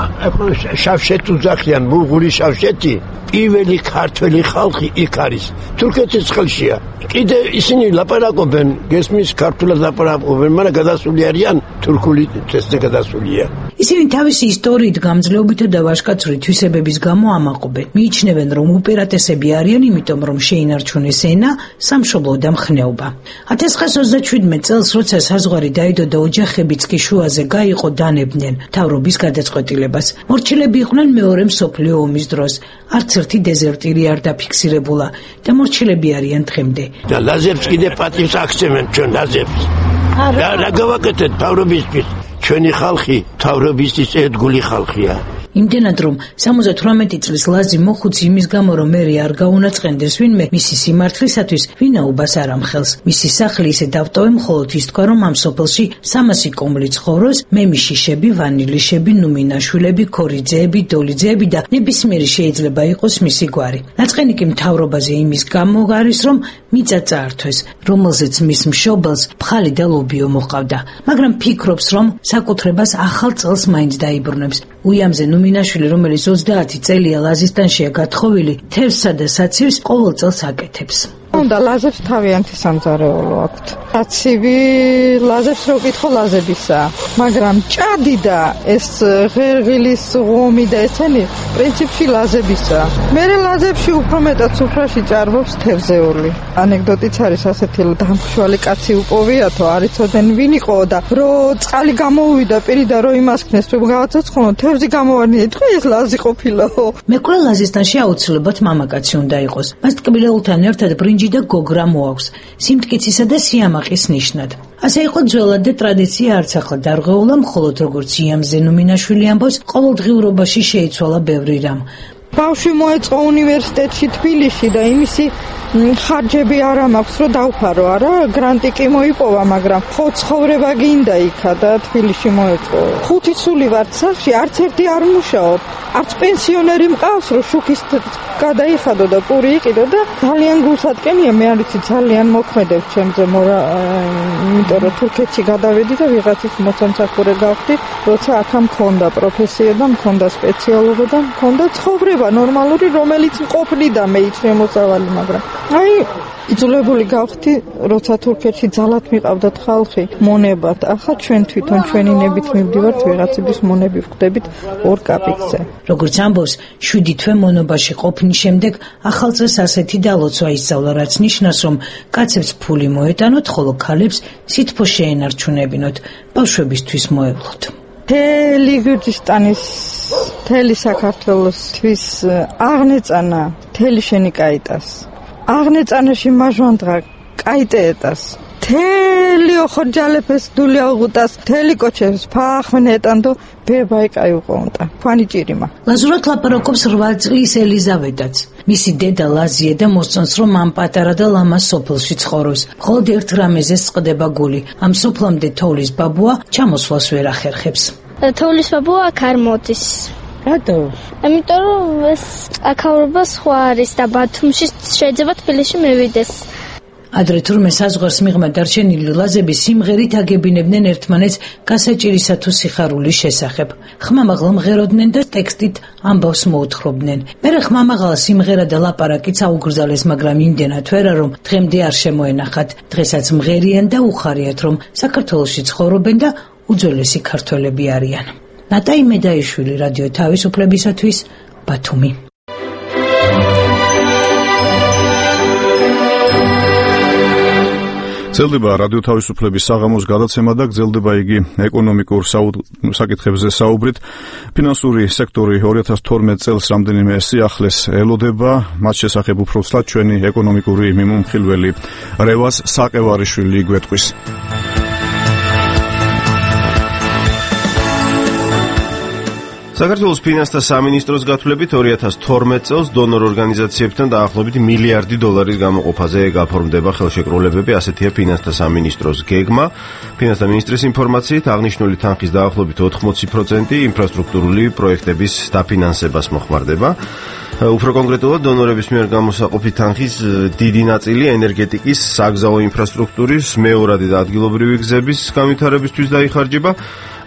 შავშეთ უძახიან ბულღური შავშეთი პირველი ქართველი ხალხი იქ არის თურქეთის ხელშია. კიდე ისინი ლაპარაკობენ გესმის ქართულად ლაპარაკობენ, მაგრამ გადასული არიან თურქული წესზე გადასულია. ისინი თავისი ისტორიით გამძლეობითა და ვაჟკაცური თვისებების გამო ამაყობენ. მიიჩნევენ, რომ უპირატესები არიან, იმიტომ რომ შეინარჩუნეს ენა, სამშობლო და მხნეობა. ათას ცხრაას ოცდაშვიდმეტ წელს, როცა საზღვარი დაიდო და ოჯახებიც კი შუაზე გაიყო, დანებდნენ მთავრობის გადაწყვეტილებას. მორჩილები იყვნენ მეორე მსოფლიო ომის დროს. არც ერთი დეზერტირი არ დაფიქსირებულა და მორჩილები არიან დღემდე. და ლაზებს კიდე პატივს აქცევენ ჩვენ ლაზებს. რა გავაკეთეთ თავრობისთვის? ჩვენი ხალხი თავრობისთვის ერთგული ხალხია. იმდენად რომ სამოცდათვრამეტი წლის ლაზი მოხუცი იმის გამო რომ მერი არ გაუნაწყენდეს ვინმე მისი სიმართლისათვის ვინაობას არ ამხელს. მისი სახლი ისე დავტოვე მხოლოდ ის თქვა რომ ამ სოფელში სამასი კომლი ცხოვრობს, მემიშიშები, ვანილიშები, ნუმინაშვილები, ქორიძეები, დოლიძეები და ნებისმიერი შეიძლება იყოს მისი გვარი. ნაწყენი კი მთავრობაზე იმის გამო არის რომ მიწა წაართვეს, რომელზეც მის მშობელს ფხალი და ლობიო მოყავდა, მაგრამ ფიქრობს რომ საკუთრებას ახალ წელს მაინც დაიბრუნებს. უიამზე ნუმინაშვილი, რომელიც ოცდაათი წელია ლაზისტანშია გათხოვილი, თევზსა და საცივს ყოველ წელს აკეთებს. უნდა ლაზებს თავიანთი სამზარეულო აქვთ. საცივი ლაზებს რო კითხო ლაზებისა, მაგრამ ჭადი და ეს ღერღილის ღომი და ესენი პრინციპში ლაზებისა. მერე ლაზებში უფრო მეტად სუფრაში ჭარბობს თევზეული. ანეკდოტიც არის ასეთი, დამხშვალი კაცი უპოვიათო, არ იცოდნენ ვინ იყო და რო წყალი გამოუვიდა პირიდან რო იმასქნეს, რომ გავაცოცხლო, თევზი გამოვარდნია, ეთქვა ეს ლაზი ყოფილაო. მეკვლე ლაზისტანში აუცილებლად მამაკაცი უნდა იყოს. მას ტკბილეულთან ერთად ბრინჯი და გოგრა მოაქვს, სიმტკიცისა და სიამაყის ნიშნად. ასე იყო ძველად და ტრადიცია არც ახლა დარღვეულა, მხოლოდ როგორც იამზე ნუმინაშვილი ამბობს, ყოველდღიურობაში შეიცვალა ბევრი რამ. ბავშვი მოეწყო უნივერსიტეტში თბილისში და იმისი ხარჯები არ მაქვს რომ დავფარო, არა, გრანტი კი მოიპოვა, მაგრამ ხო ცხოვრება გინდა იქა და თბილისში მოეწყო. ხუთი ცული ვარ სახლში, არც ერთი არ მუშაობ, არც პენსიონერი მყავს რომ შუქის გადაიხადო და პური იყიდო და ძალიან გულსატკენია, მე არ ვიცი, ძალიან მოქმედებ ჩემზე, მორა, იმიტომ რომ თურქეთში გადავედი და ვიღაცის მოცემსახურე გავხდი, როცა აქ მქონდა პროფესია და მქონდა სპეციალობა და მქონდა ცხოვრება ნორმალური, რომელიც მყოფნიდა მე ის შემოსავალი, მაგრამ აი იძულებული გავხდი, როცა თურქეთში ძალად მიყავდათ ხალხი მონებად. ახლა ჩვენ თვითონ ჩვენი ნებით მივდივართ ვიღაცების მონები ვხდებით ორ კაპიკზე. როგორც ამბობს, შვიდი თვე მონობაში ყოფნის შემდეგ ახალ წელს ასეთი დალოცვა ისწავლა, რაც ნიშნავს, რომ კაცებს ფული მოეტანოთ, ხოლო ქალებს სითბო შეენარჩუნებინოთ, ბავშვებისთვის მოევლოთ. მთელი გურჯისტანის, მთელი საქართველოსთვის აღნეწანა მთელი შენი კაიტას. აღნეწანაში მაჟვანდღა კაიტეეტას. მთელი ოხორჯალეფეს დულია უღუტას, მთელი კოჩებს ფახმნეტანდო ბებაი კაი უყონტა. ფანი ჭირიმა. ლაზურად ლაპარაკობს რვა წლის ელიზავეტაც. მისი დედა ლაზია და მოსწონს, რომ ამ პატარა და ლამას სოფელში ცხოვრობს. მხოლოდ ერთ რამეზე წყდება გული. ამ სოფლამდე თოვლის ბაბუა ჩამოსვლას ვერ ახერხებს. თოვლის ბაბუა აქ არ მოდის. რატო? ამიტომ რომ ეს აქაურობა სხვა არის და ბათუმში შეიძლება თბილისში მევიდეს. ადრე თურმე საზღვარს მიღმა დარჩენილი ლაზები სიმღერით აგებინებდნენ ერთმანეთს გასაჭირისა თუ სიხარულის შესახებ. ხმამაღლა მღეროდნენ და ტექსტით ამბავს მოუთხრობდნენ. მერე ხმამაღლა სიმღერა და ლაპარაკიც აუგრძალეს, მაგრამ იმდენად ვერა, რომ დღემდე არ შემოენახათ. დღესაც მღერიან და უხარიათ, რომ საქართველოში ცხოვრობენ და უძველესი ქართველები არიან. ნატაი მედაიშვილი, რადიო თავისუფლებისათვის, ბათუმი. გრძელდება რადიო თავისუფლების საღამოს გადაცემა და გრძელდება იგი ეკონომიკურ საკითხებზე საუბრით. ფინანსური სექტორი ორი ათას თორმეტ წელს რამდენიმე სიახლეს ელოდება, მათ შესახებ უფრო ცლად ჩვენი ეკონომიკური მიმომხილველი რევაზ საყევარიშვილი გვეტყვის. საქართველოს ფინანსთა სამინისტროს გათვლებით ორი ათას თორმეტ წელს დონორ ორგანიზაციებთან დაახლოებით მილიარდი დოლარის გამოყოფაზე გაფორმდება ხელშეკრულებები, ასეთია ფინანსთა სამინისტროს გეგმა. ფინანსთა მინისტრის ინფორმაციით აღნიშნული თანხის დაახლოებით ოთხმოცი პროცენტი ინფრასტრუქტურული პროექტების დაფინანსებას მოხმარდება. უფრო კონკრეტულად დონორების მიერ გამოსაყოფი თანხის დიდი ნაწილი ენერგეტიკის, საგზაო ინფრასტრუქტურის, მეორადი და ადგილობრივი გზების განვითარებისთვის დაიხარჯება.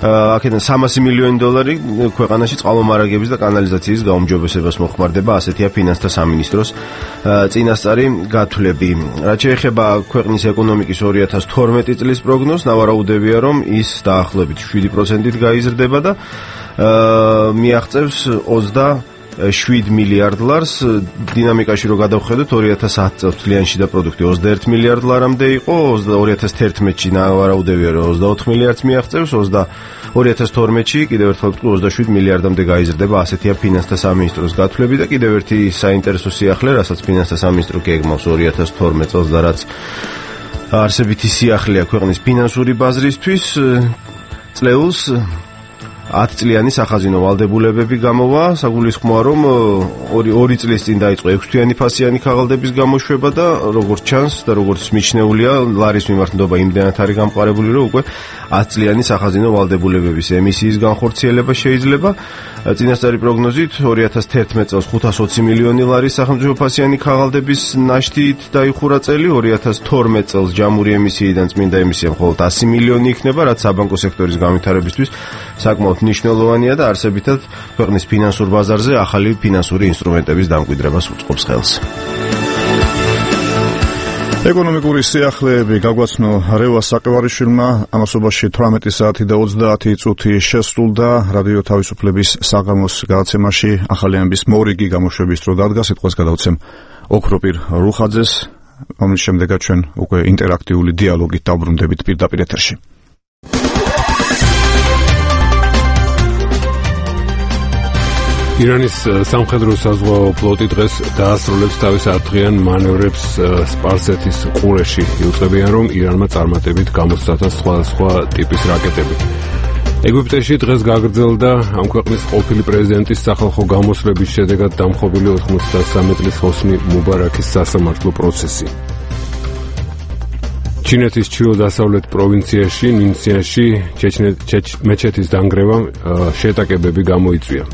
აქედან სამასი მილიონი დოლარი ქვეყანაში წყალმომარაგების და კანალიზაციის გაუმჯობესებას მოხმარდება, ასეთია ფინანსთა სამინისტროს წინასწარი გათვლები. რაც შეეხება ქვეყნის ეკონომიკის ორი ათას თორმეტი წლის პროგნოზს, ნავარაუდებია, რომ ის დაახლოებით შვიდი პროცენტით გაიზრდება და მიაღწევს ოცდაშვიდ მილიარდ ლარს. დინამიკაში რო გადავხედოთ, ორი ათას ათი წელს მთლიანი შიდა პროდუქტი ოცდაერთი მილიარდ ლარამდე იყო, ორი ათას თერთმეტში ნავარაუდებია, რომ ოცდაოთხ მილიარდს მიაღწევს, ორი ათას თორმეტში კიდევ ერთხელ ოცდაშვიდ მილიარდამდე გაიზრდება, ასეთია ფინანსთა სამინისტროს გათვლები და კიდევ ერთი საინტერესო სიახლე, რასაც ფინანსთა სამინისტრო გეგმავს ორი ათას თორმეტ წელს და რაც არსებითი სიახლეა ქვეყნის ფინანსური ბაზრისთვის. წლეულს ათი წლიანი სახაზინო ვალდებულებები გამოვა, საგულისხმოა რომ ორი ორი წლის წინ დაიწყო ექვსთვიანი ფასიანი ქაღალდების გამოშვება და როგორც ჩანს და როგორც მიჩნეულია, ლარის მიმართ ნდობა იმდენად არის გამყარებული, რომ უკვე ათი წლიანი სახაზინო ვალდებულებების ემისიის განხორციელება შეიძლება. წინასწარი პროგნოზით ორი ათას თერთმეტ წელს ხუთას ოცი მილიონი ლარის სახელმწიფო ფასიანი ქაღალდების ნაშთით დაიხურა წელი, ორი ათას თორმეტ წელს ჯამური ემისიიდან წმინდა ემისია მხოლოდ ასი მილიონი იქნება, რაც საბანკო სექტორის განვითარებისთვის საკმაოდ მნიშვნელოვანია და არსებითად ქვეყნის ფინანსურ ბაზარზე ახალი ფინანსური ინსტრუმენტების დამკვიდრებას უწყობს ხელს. ეკონომიკური სიახლეები გაგვაცნო რევას საკევარიშვილმა, ამასობაში თვრამეტი საათი და ოცდაათი წუთი შესრულდა რადიო თავისუფლების საღამოს გადაცემაში ახალი ამბის მორიგი გამოშვების დრო დადგა. სიტყვას გადავცემ ოქროპირ რუხაძეს, რომლის შემდეგაც ჩვენ უკვე ინტერაქტიული დიალოგით დავბრუნდებით პირდაპირ ეთერში. ირანის სამხედრო საზღვაო ფლოტი დღეს დაასრულებს თავის ათდღიან მანევრებს სპარსეთის ყურეში. იუწყებიან, რომ ირანმა წარმატებით გამოსცადა სხვადასხვა ტიპის რაკეტები. ეგვიპტეში დღეს გაგრძელდა ამ ქვეყნის ყოფილი პრეზიდენტის სახალხო გამოსვლების შედეგად დამხობილი ოთხმოცდასამი წლის ჰოსნი მუბარაქის სასამართლო პროცესი. ჩინეთის ჩრდილო-დასავლეთ პროვინციაში ნინსიაში მეჩეთის დანგრევამ შეტაკებები გამოიწვია.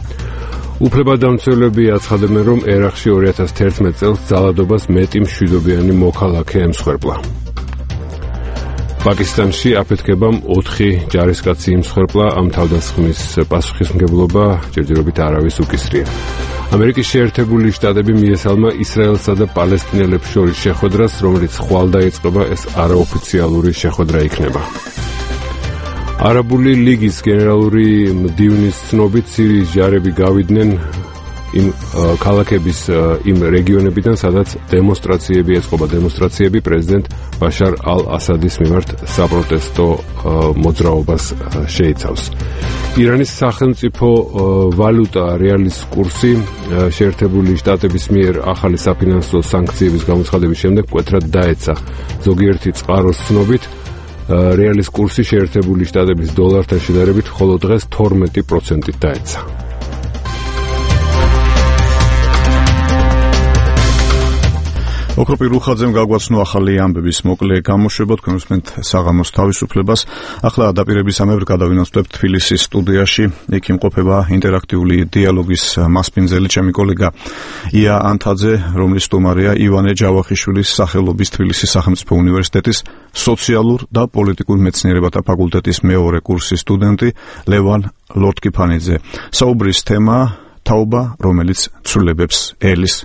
უფლებადამცველები აცხადებენ, რომ ერაყში ორი ათას თერთმეტ წელს ძალადობას მეტი მშვიდობიანი მოქალაქე ემსხვერპლა. პაკისტანში აფეთქებამ ოთხი ჯარისკაცი იმსხვერპლა, ამ თავდასხმის პასუხისმგებლობა ჯერჯერობით არავის უკისრია. ამერიკის შეერთებული შტატები მიესალმა ისრაელსა და პალესტინელებს შორის შეხვედრას, რომელიც ხვალ დაიწყება, ეს არაოფიციალური შეხვედრა იქნება. არაბული ლიგის გენერალური მდივნის ცნობით სირიის ჯარები გავიდნენ იმ ქალაქების იმ რეგიონებიდან, სადაც დემონსტრაციები ეწყობა დემონსტრაციები პრეზიდენტ ბაშარ ალ-ასადის მიმართ საპროტესტო მოძრაობას შეიცავს. ირანის სახელმწიფო ვალუტა რეალის კურსი შეერთებული შტატების მიერ ახალი საფინანსო სანქციების გამოცხადების შემდეგ მკვეთრად დაეცა. ზოგიერთი წყაროს ცნობით რეალის კურსი შეერთებული შტატების დოლართან შედარებით მხოლოდ დღეს თორმეტი პროცენტით დაეცა. ოქროპირ რუხაძემ გაგვაცნო ახალი ამბების მოკლე გამოშვება, თქვენ უსმენთ საღამოს თავისუფლებას. ახლა დაპირებისამებრ გადავინაცვლებთ თბილისის სტუდიაში. იქ იმყოფება ინტერაქტიული დიალოგის მასპინძელი ჩემი კოლეგა ია ანთაძე, რომლის სტუმარია ივანე ჯავახიშვილის სახელობის თბილისის სახელმწიფო უნივერსიტეტის სოციალურ და პოლიტიკურ მეცნიერებათა ფაკულტეტის მეორე კურსის სტუდენტი ლევან ლორთქიფანიძე. საუბრის თემა თაობა, რომელიც ცვლილებებს ელის.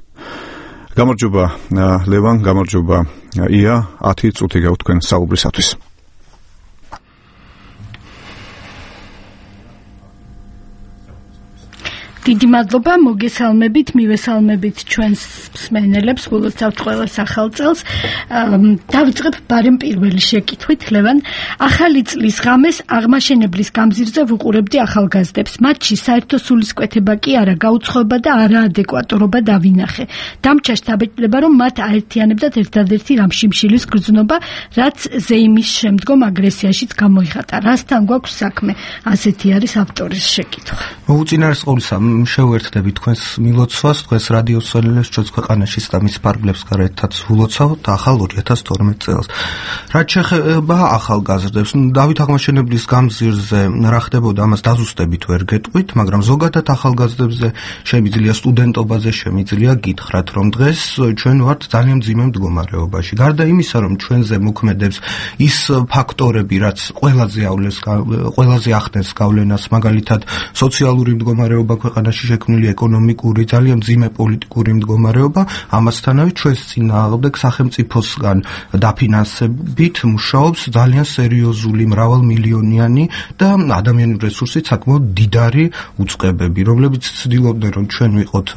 გამარჯობა ლევან, გამარჯობა ია, ათი წუთი გაქვთ თქვენ საუბრისათვის. დიდი მადლობა, მოგესალმებით, მივესალმებით ჩვენს მსმენელებს, გულოცავთ ყველა სახალწელს. დავიწყებ ბარემ პირველი შეკითხვით, ლევან. ახალი წლის ღამეს აღმაშენებლის გამზირზე ვუყურებდი ახალგაზრდებს. მათში საერთო სულისკვეთება კი არა, გაუცხოება და არაადეკვატურობა დავინახე. დამჩა შთაბეჭდება, რომ მათ აერთიანებდათ ერთადერთი რამშიმშილის გრძნობა, რაც ზეიმის შემდგომ აგრესიაშიც გამოიხატა. რასთან გვაქვს საქმე? ასეთი არის ავტორის შეკითხვა. უწინარესყოლისა შევერთდები თქვენს მილოცვას, დღეს რადიო სოლელებს ჩვენს ქვეყანაში და მის ფარგლებს გარეთაც ვილოცავთ ახალ ორი ათას თორმეტ წელს. რაც შეეხება ახალგაზრდებს, დავით აღმაშენებლის გამზირზე რა ხდებოდა, ამას დაზუსტებით ვერ გეტყვით, მაგრამ ზოგადად ახალგაზრდებზე შემიძლია სტუდენტობაზე შემიძლია გითხრათ, რომ დღეს ჩვენ ვართ ძალიან მძიმე მდგომარეობაში. გარდა იმისა, რომ ჩვენზე მოქმედებს ის ფაქტორები, რაც ყველაზე ავლეს ყველაზე ახდენს გავლენას, მაგალითად სოციალური მდგომარეობა ქვეყანაში შექმნილი ეკონომიკური, ძალიან მძიმე პოლიტიკური მდგომარეობა, ამასთანავე ჩვენს წინააღმდეგ სახელმწიფოსგან დაფინანსებით მუშაობს ძალიან სერიოზული მრავალმილიონიანი და ადამიანური რესურსით საკმაოდ დიდარი უწყებები, რომლებიც ცდილობდნენ, რომ ჩვენ ვიყოთ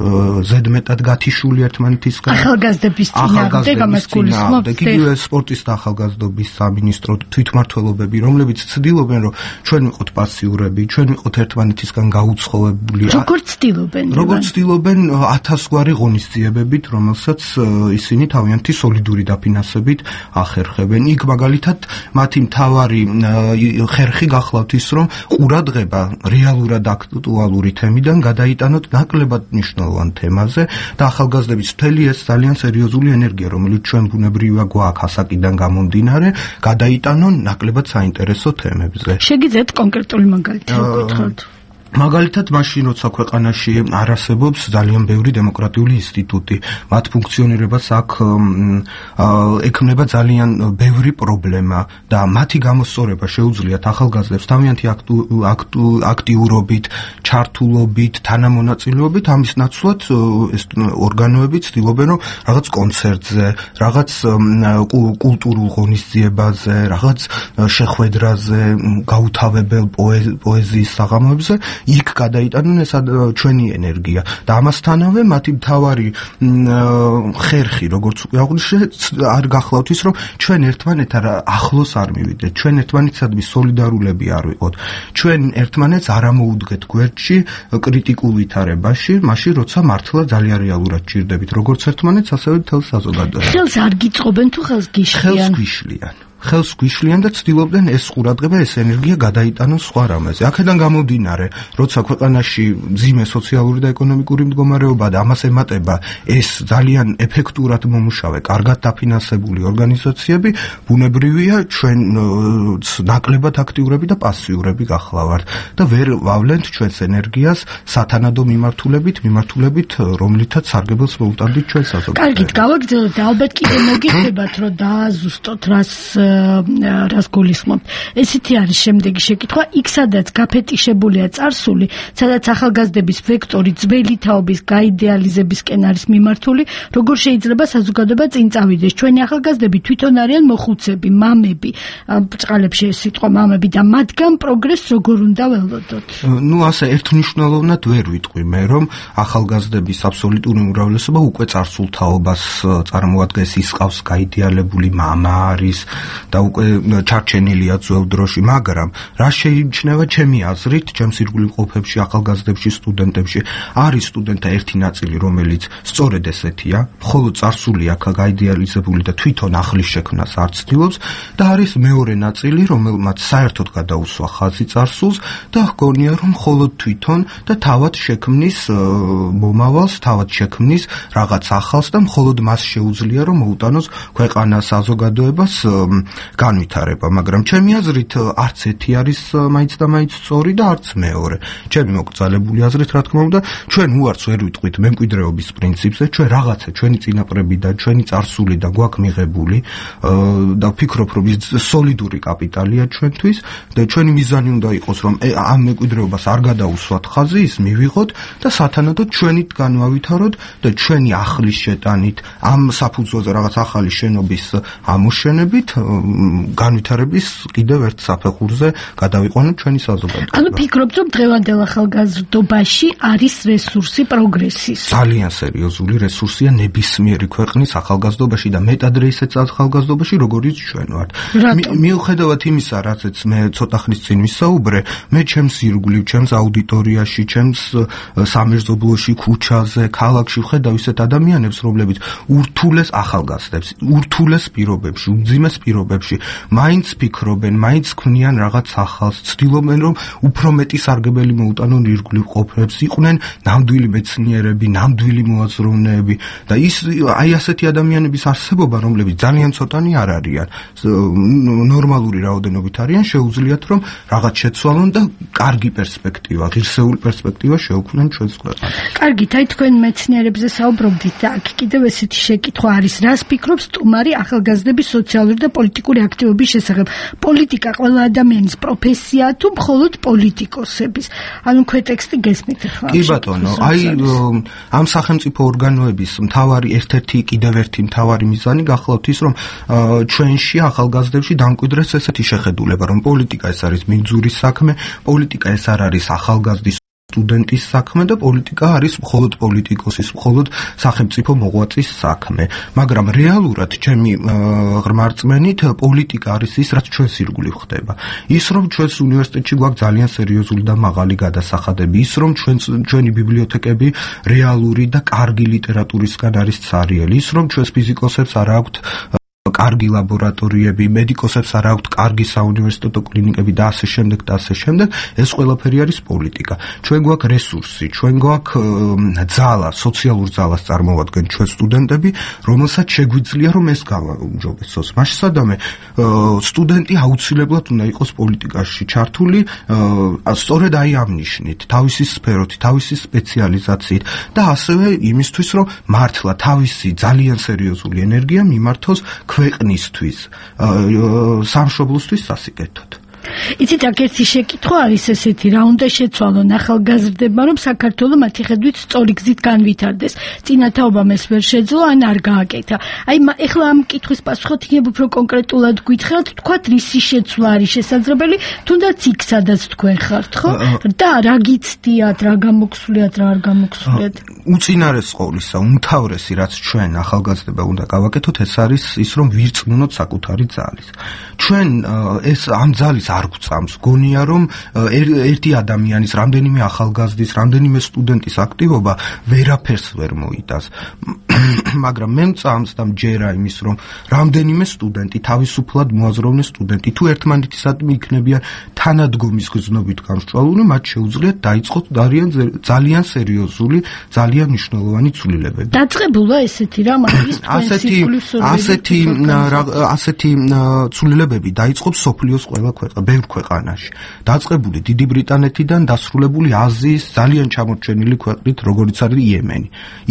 ზედმეტად გათიშული ერთმანეთისგან. ახალგაზრდების წინააღმდეგ ამას გულისხმობთ? იგივე სპორტის და ახალგაზრდობის სამინისტრო თვითმმართველობები, რომლებიც ცდილობენ, რომ ჩვენ ვიყოთ პასიურები, ჩვენ ვიყოთ ერთმანეთისგან გაუცხოებული. როგორ როგორც ცდილობენ? როგორც ცდილობენ ათასგვარი ღონისძიებებით, რომელსაც ისინი თავიანთი სოლიდური დაფინანსებით ახერხებენ. იქ მაგალითად მათი მთავარი ხერხი გახლავთ ის, რომ ყურადღება რეალურად აქტუალური თემიდან გადაიტანოთ ნაკლებად მნიშვნელოვან თემაზე და ახალგაზრდების მთელი ეს ძალიან სერიოზული ენერგია, რომელიც ჩვენ ბუნებრივია გვაქვს ასაკიდან გამომდინარე, გადაიტანონ ნაკლებად საინტერესო თემებზე. შეგიძლიათ კონკრეტული მაგალითი გითხრათ? მაგალითად, მაშინ როცა ქვეყანაში არ არსებობს ძალიან ბევრი დემოკრატიული ინსტიტუტი, მათ ფუნქციონირებას აქ ექმნება ძალიან ბევრი პრობლემა და მათი გამოსწორება შეუძლიათ ახალგაზრდებს თავიანთი აქტიურობით, ჩართულობით, თანამონაწილეობით, ამის ნაცვლად ეს ორგანოები ცდილობენ, რომ რაღაც კონცერტზე, რაღაც კულტურულ ღონისძიებაზე, რაღაც შეხვედრაზე, გაუთავებელ პოეზიის საღამოებზე იქ გადაიტანონ ეს ჩვენი ენერგია და ამასთანავე მათი მთავარი ხერხი, როგორც უკვე აღვნიშნე, არ გახლავთ ის, რომ ჩვენ ერთმანეთთან ახლოს არ მივიდეთ, ჩვენ ერთმანეთსადმი სოლიდარულები არ ვიყოთ, ჩვენ ერთმანეთს არ ამოუდგეთ გვერდში კრიტიკულ ვითარებაში, მაშინ როცა მართლა ძალიან რეალურად ჭირდებით, როგორც ერთმანეთს, ასევე მთელ საზოგადოებას. ხელს არ გიწყობენ თუ ხელს გიშლიან? ხელს გიშლიან. ხელს გვიშლიან და ცდილობდნენ ეს ყურადღება, ეს ენერგია გადაიტანონ სხვა რამეზე. აქედან გამომდინარე, როცა ქვეყანაში მძიმე სოციალური და ეკონომიკური მდგომარეობა და ამას ემატება ეს ძალიან ეფექტურად მომუშავე, კარგად დაფინანსებული ორგანიზაციები, ბუნებრივია ჩვენ ნაკლებად აქტიურები და პასიურები გახლავართ და ვერ ვავლენთ ჩვენს ენერგიას სათანადო მიმართულებით, მიმართულებით, რომლითაც სარგებელს მოუტანდით ჩვენ საზოგადოებას. კარგით, გავაგრძელოთ და ალბათ კიდე მოგიხდებათ, რომ დააზუსტოთ რას რას გულისხმობთ. ესეთი არის შემდეგი შეკითხვა. იქ სადაც გაფეტიშებულია წარსული, სადაც ახალგაზრდების ვექტორი ძველი თაობის გაიდეალიზებისკენ არის მიმართული, როგორ შეიძლება საზოგადოება წინ წავიდეს? ჩვენი ახალგაზრდები თვითონ არიან მოხუცები, მამები, ბწყალებში ეს სიტყვა მამები და მათგან პროგრესს როგორ უნდა ველოდოთ? ნუ ასე ერთმნიშვნელოვნად ვერ ვიტყვი მე, რომ ახალგაზრდების აბსოლუტური უმრავლესობა უკვე წარსულ თაობას წარმოადგენს, ის ყავს გაიდეალებული მამა არის და უკვე ჩარჩენილია ძველ დროში, მაგრამ რა შეიმჩნევა ჩემი აზრით, ჩემს ირგვლივ მყოფებში, ახალგაზრდებში, სტუდენტებში, არის სტუდენტთა ერთი ნაწილი, რომელიც სწორედ ესეთია, მხოლოდ წარსული აქა გაიდეალიზებული და თვითონ ახლის შექმნას არ ცდილობს და არის მეორე ნაწილი, რომელმაც საერთოდ გადაუსვა ხაზი წარსულს და ჰგონია, რომ მხოლოდ თვითონ და თავად შექმნის მომავალს, თავად შექმნის რაღაც ახალს და მხოლოდ მას შეუძლია, რომ მოუტანოს ქვეყანას, საზოგადოებას განვითარება, მაგრამ ჩემი აზრით არც ერთი არის მაინც და მაინც სწორი და არც მეორე. ჩემი მოკრძალებული აზრით, რა თქმა უნდა, ჩვენ უარს ვერ ვიტყვით მემკვიდრეობის პრინციპზე, ჩვენ რაღაცა ჩვენი წინაპრებიდან, ჩვენი წარსულიდან გვაქვს მიღებული და ვფიქრობ, რომ ის სოლიდური კაპიტალია ჩვენთვის და ჩვენი მიზანი უნდა იყოს, რომ ამ მემკვიდრეობას არ გადაუსვათ ხაზი, ის მივიღოთ და სათანადოდ ჩვენით განვავითაროთ და ჩვენი ახლის შეტანით, ამ საფუძველზე რაღაც ახალი შენობის ამოშენებით განვითარების კიდევ ერთ საფეხურზე გადავიყვანოთ ჩვენი საზოგადოება. ანუ ფიქრობთ, რომ დღევანდელ ახალგაზრდობაში არის რესურსი პროგრესის? ძალიან სერიოზული რესურსია ნებისმიერი ქვეყნის ახალგაზრდობაში და მეტადრე ისეთ ახალგაზრდობაში, როგორიც ჩვენ ვართ. მიუხედავად იმისა, რაცაც მე ცოტა ხნის წინ ვისაუბრე, მე ჩემს ირგვლივ, ჩემს აუდიტორიაში, ჩემს სამეზობლოში, ქუჩაზე, ქალაქში ვხედავ ისეთ ადამიანებს, რომლებიც ურთულეს ახალგაზრდებს, ურთულეს პირობებში, უმძიმეს პირობებში მაინც ფიქრობენ, მაინც ქმნიან რაღაც ახალს, ცდილობენ, რომ უფრო მეტი სარგებელი მოუტანონ ირგვლივ ყოფნებს, იყვნენ ნამდვილი მეცნიერები, ნამდვილი მოაზროვნეები და ის აი ასეთი ადამიანების არსებობა, რომლებიც ძალიან ცოტანი არ არიან, ნორმალური რაოდენობით არიან, შეუძლიათ, რომ რაღაც შეცვალონ და კარგი პერსპექტივა, ღირსეული პერსპექტივა შეუქმნან ჩვენს ქვეყანას. კარგით, აი თქვენ მეცნიერებზე საუბრობდით და აქ კიდევ ესეთი შეკითხვა არის, რას ფიქრობ სტუმარი ახალგაზრდების სოციალური და პოლიტიკური აქტივობის შესახებ? პოლიტიკა ყველა ადამიანის პროფესიაა თუ მხოლოდ პოლიტიკოსების? ანუ ქვეტექსტი გესმით ახლა? კი ბატონო, აი ამ სახელმწიფო ორგანოების მთავარი ერთ-ერთი კიდევ ერთი მთავარი მიზანი გახლავთ ის, რომ ჩვენში ახალგაზრდებში დამკვიდრეს ესეთი შეხედულება, რომ პოლიტიკა ეს არის მიგძური საქმე, პოლიტიკა ეს არ არის ახალგაზრდის სტუდენტის საქმე და პოლიტიკა არის მხოლოდ პოლიტიკოსის, მხოლოდ სახელმწიფო მოღვაწის საქმე. მაგრამ რეალურად ჩემი ღრმა რწმენით პოლიტიკა არის ის, რაც ჩვენს ირგვლივ ხდება. ის რომ ჩვენს უნივერსიტეტში გვაქვს ძალიან სერიოზული და მაღალი გადასახადები, ის რომ ჩვენს ჩვენი ბიბლიოთეკები რეალური და კარგი ლიტერატურისგან არის ცარიელი, ის რომ ჩვენს ფიზიკოსებს არ აქვთ კარგი ლაბორატორიები, მედიკოსებს არ აქვთ კარგი საუნივერსიტეტო კლინიკები და ასე შემდეგ და ასე შემდეგ, ეს ყველაფერი არის პოლიტიკა. ჩვენ გვაქვს რესურსი, ჩვენ გვაქვს ძალა, სოციალურ ძალას წარმოვადგენ ჩვენ სტუდენტები, რომელსაც შეგვიძლია რომ ეს გავაუმჯობესოს. მასშტაბამდე სტუდენტი აუცილებლად უნდა იყოს პოლიტიკაში ჩართული, სწორედ აი ამ ნიშნით, თავისი სფეროთი, თავისი სპეციალიზაციით და ასევე იმისთვის, რომ მართლა თავისი ძალიან სერიოზული ენერგია მიმართოს ქვეყნისთვის, სამშობლოსთვის სასიკეთოდ. იცით, აქ ერთი შეკითხვა არის ესეთი, რა უნდა შეცვალონ ახალგაზრდებმა, რომ საქართველო მათი ხედვით სწორი გზით განვითარდეს. წინათაობამ ეს ვერ შეძლო, ან არ გააკეთა. აი, ეხლა ამ კითხვის პასუხად იქნებ უფრო კონკრეტულად გითხრათ, თქვათ, რისი შეცვლა არის შესაძლებელი, თუნდაც იქ, სადაც თქვენ ხართ, ხო? და რა გიცდიათ, რა გამოგსვლიათ, რა არ გამოგსვლიათ? უწინარეს ყოვლისა, უმთავრესი, რაც ჩვენ ახალგაზრდება უნდა გავაკეთოთ, ეს არის ის, რომ ვირწმუნოთ საკუთარი ძალის. ჩვენ ეს ამ ძალის არ გვწამს. გონია რომ ერთი ადამიანის, რამდენიმე ახალგაზრდის, რამდენიმე სტუდენტის აქტივობა ვერაფერს ვერ მოიტანს. მაგრამ მე მწამს და მჯერა იმის, რომ რამდენიმე სტუდენტი, თავისუფლად მოაზროვნე სტუდენტი, თუ ერთმანეთისადმი იქნებიან თანადგომის გზნობით გამსჭვალული, მათ შეუძლიათ დაიწყოთ ძალიან სერიოზული, ძალიან მნიშვნელოვანი ცვლილებები. დაწყებულა ესეთი რამ არის ასეთი ასეთი ასეთი ცვლილებები დაიწყო სოფლიოს ყველა ქვეყანა, ბევრ ქვეყანაში. დაწყებული დიდი ბრიტანეთიდან, დასრულებული აზიის ძალიან ჩამორჩენილი ქვეყნით, როგორიც არის იემენი.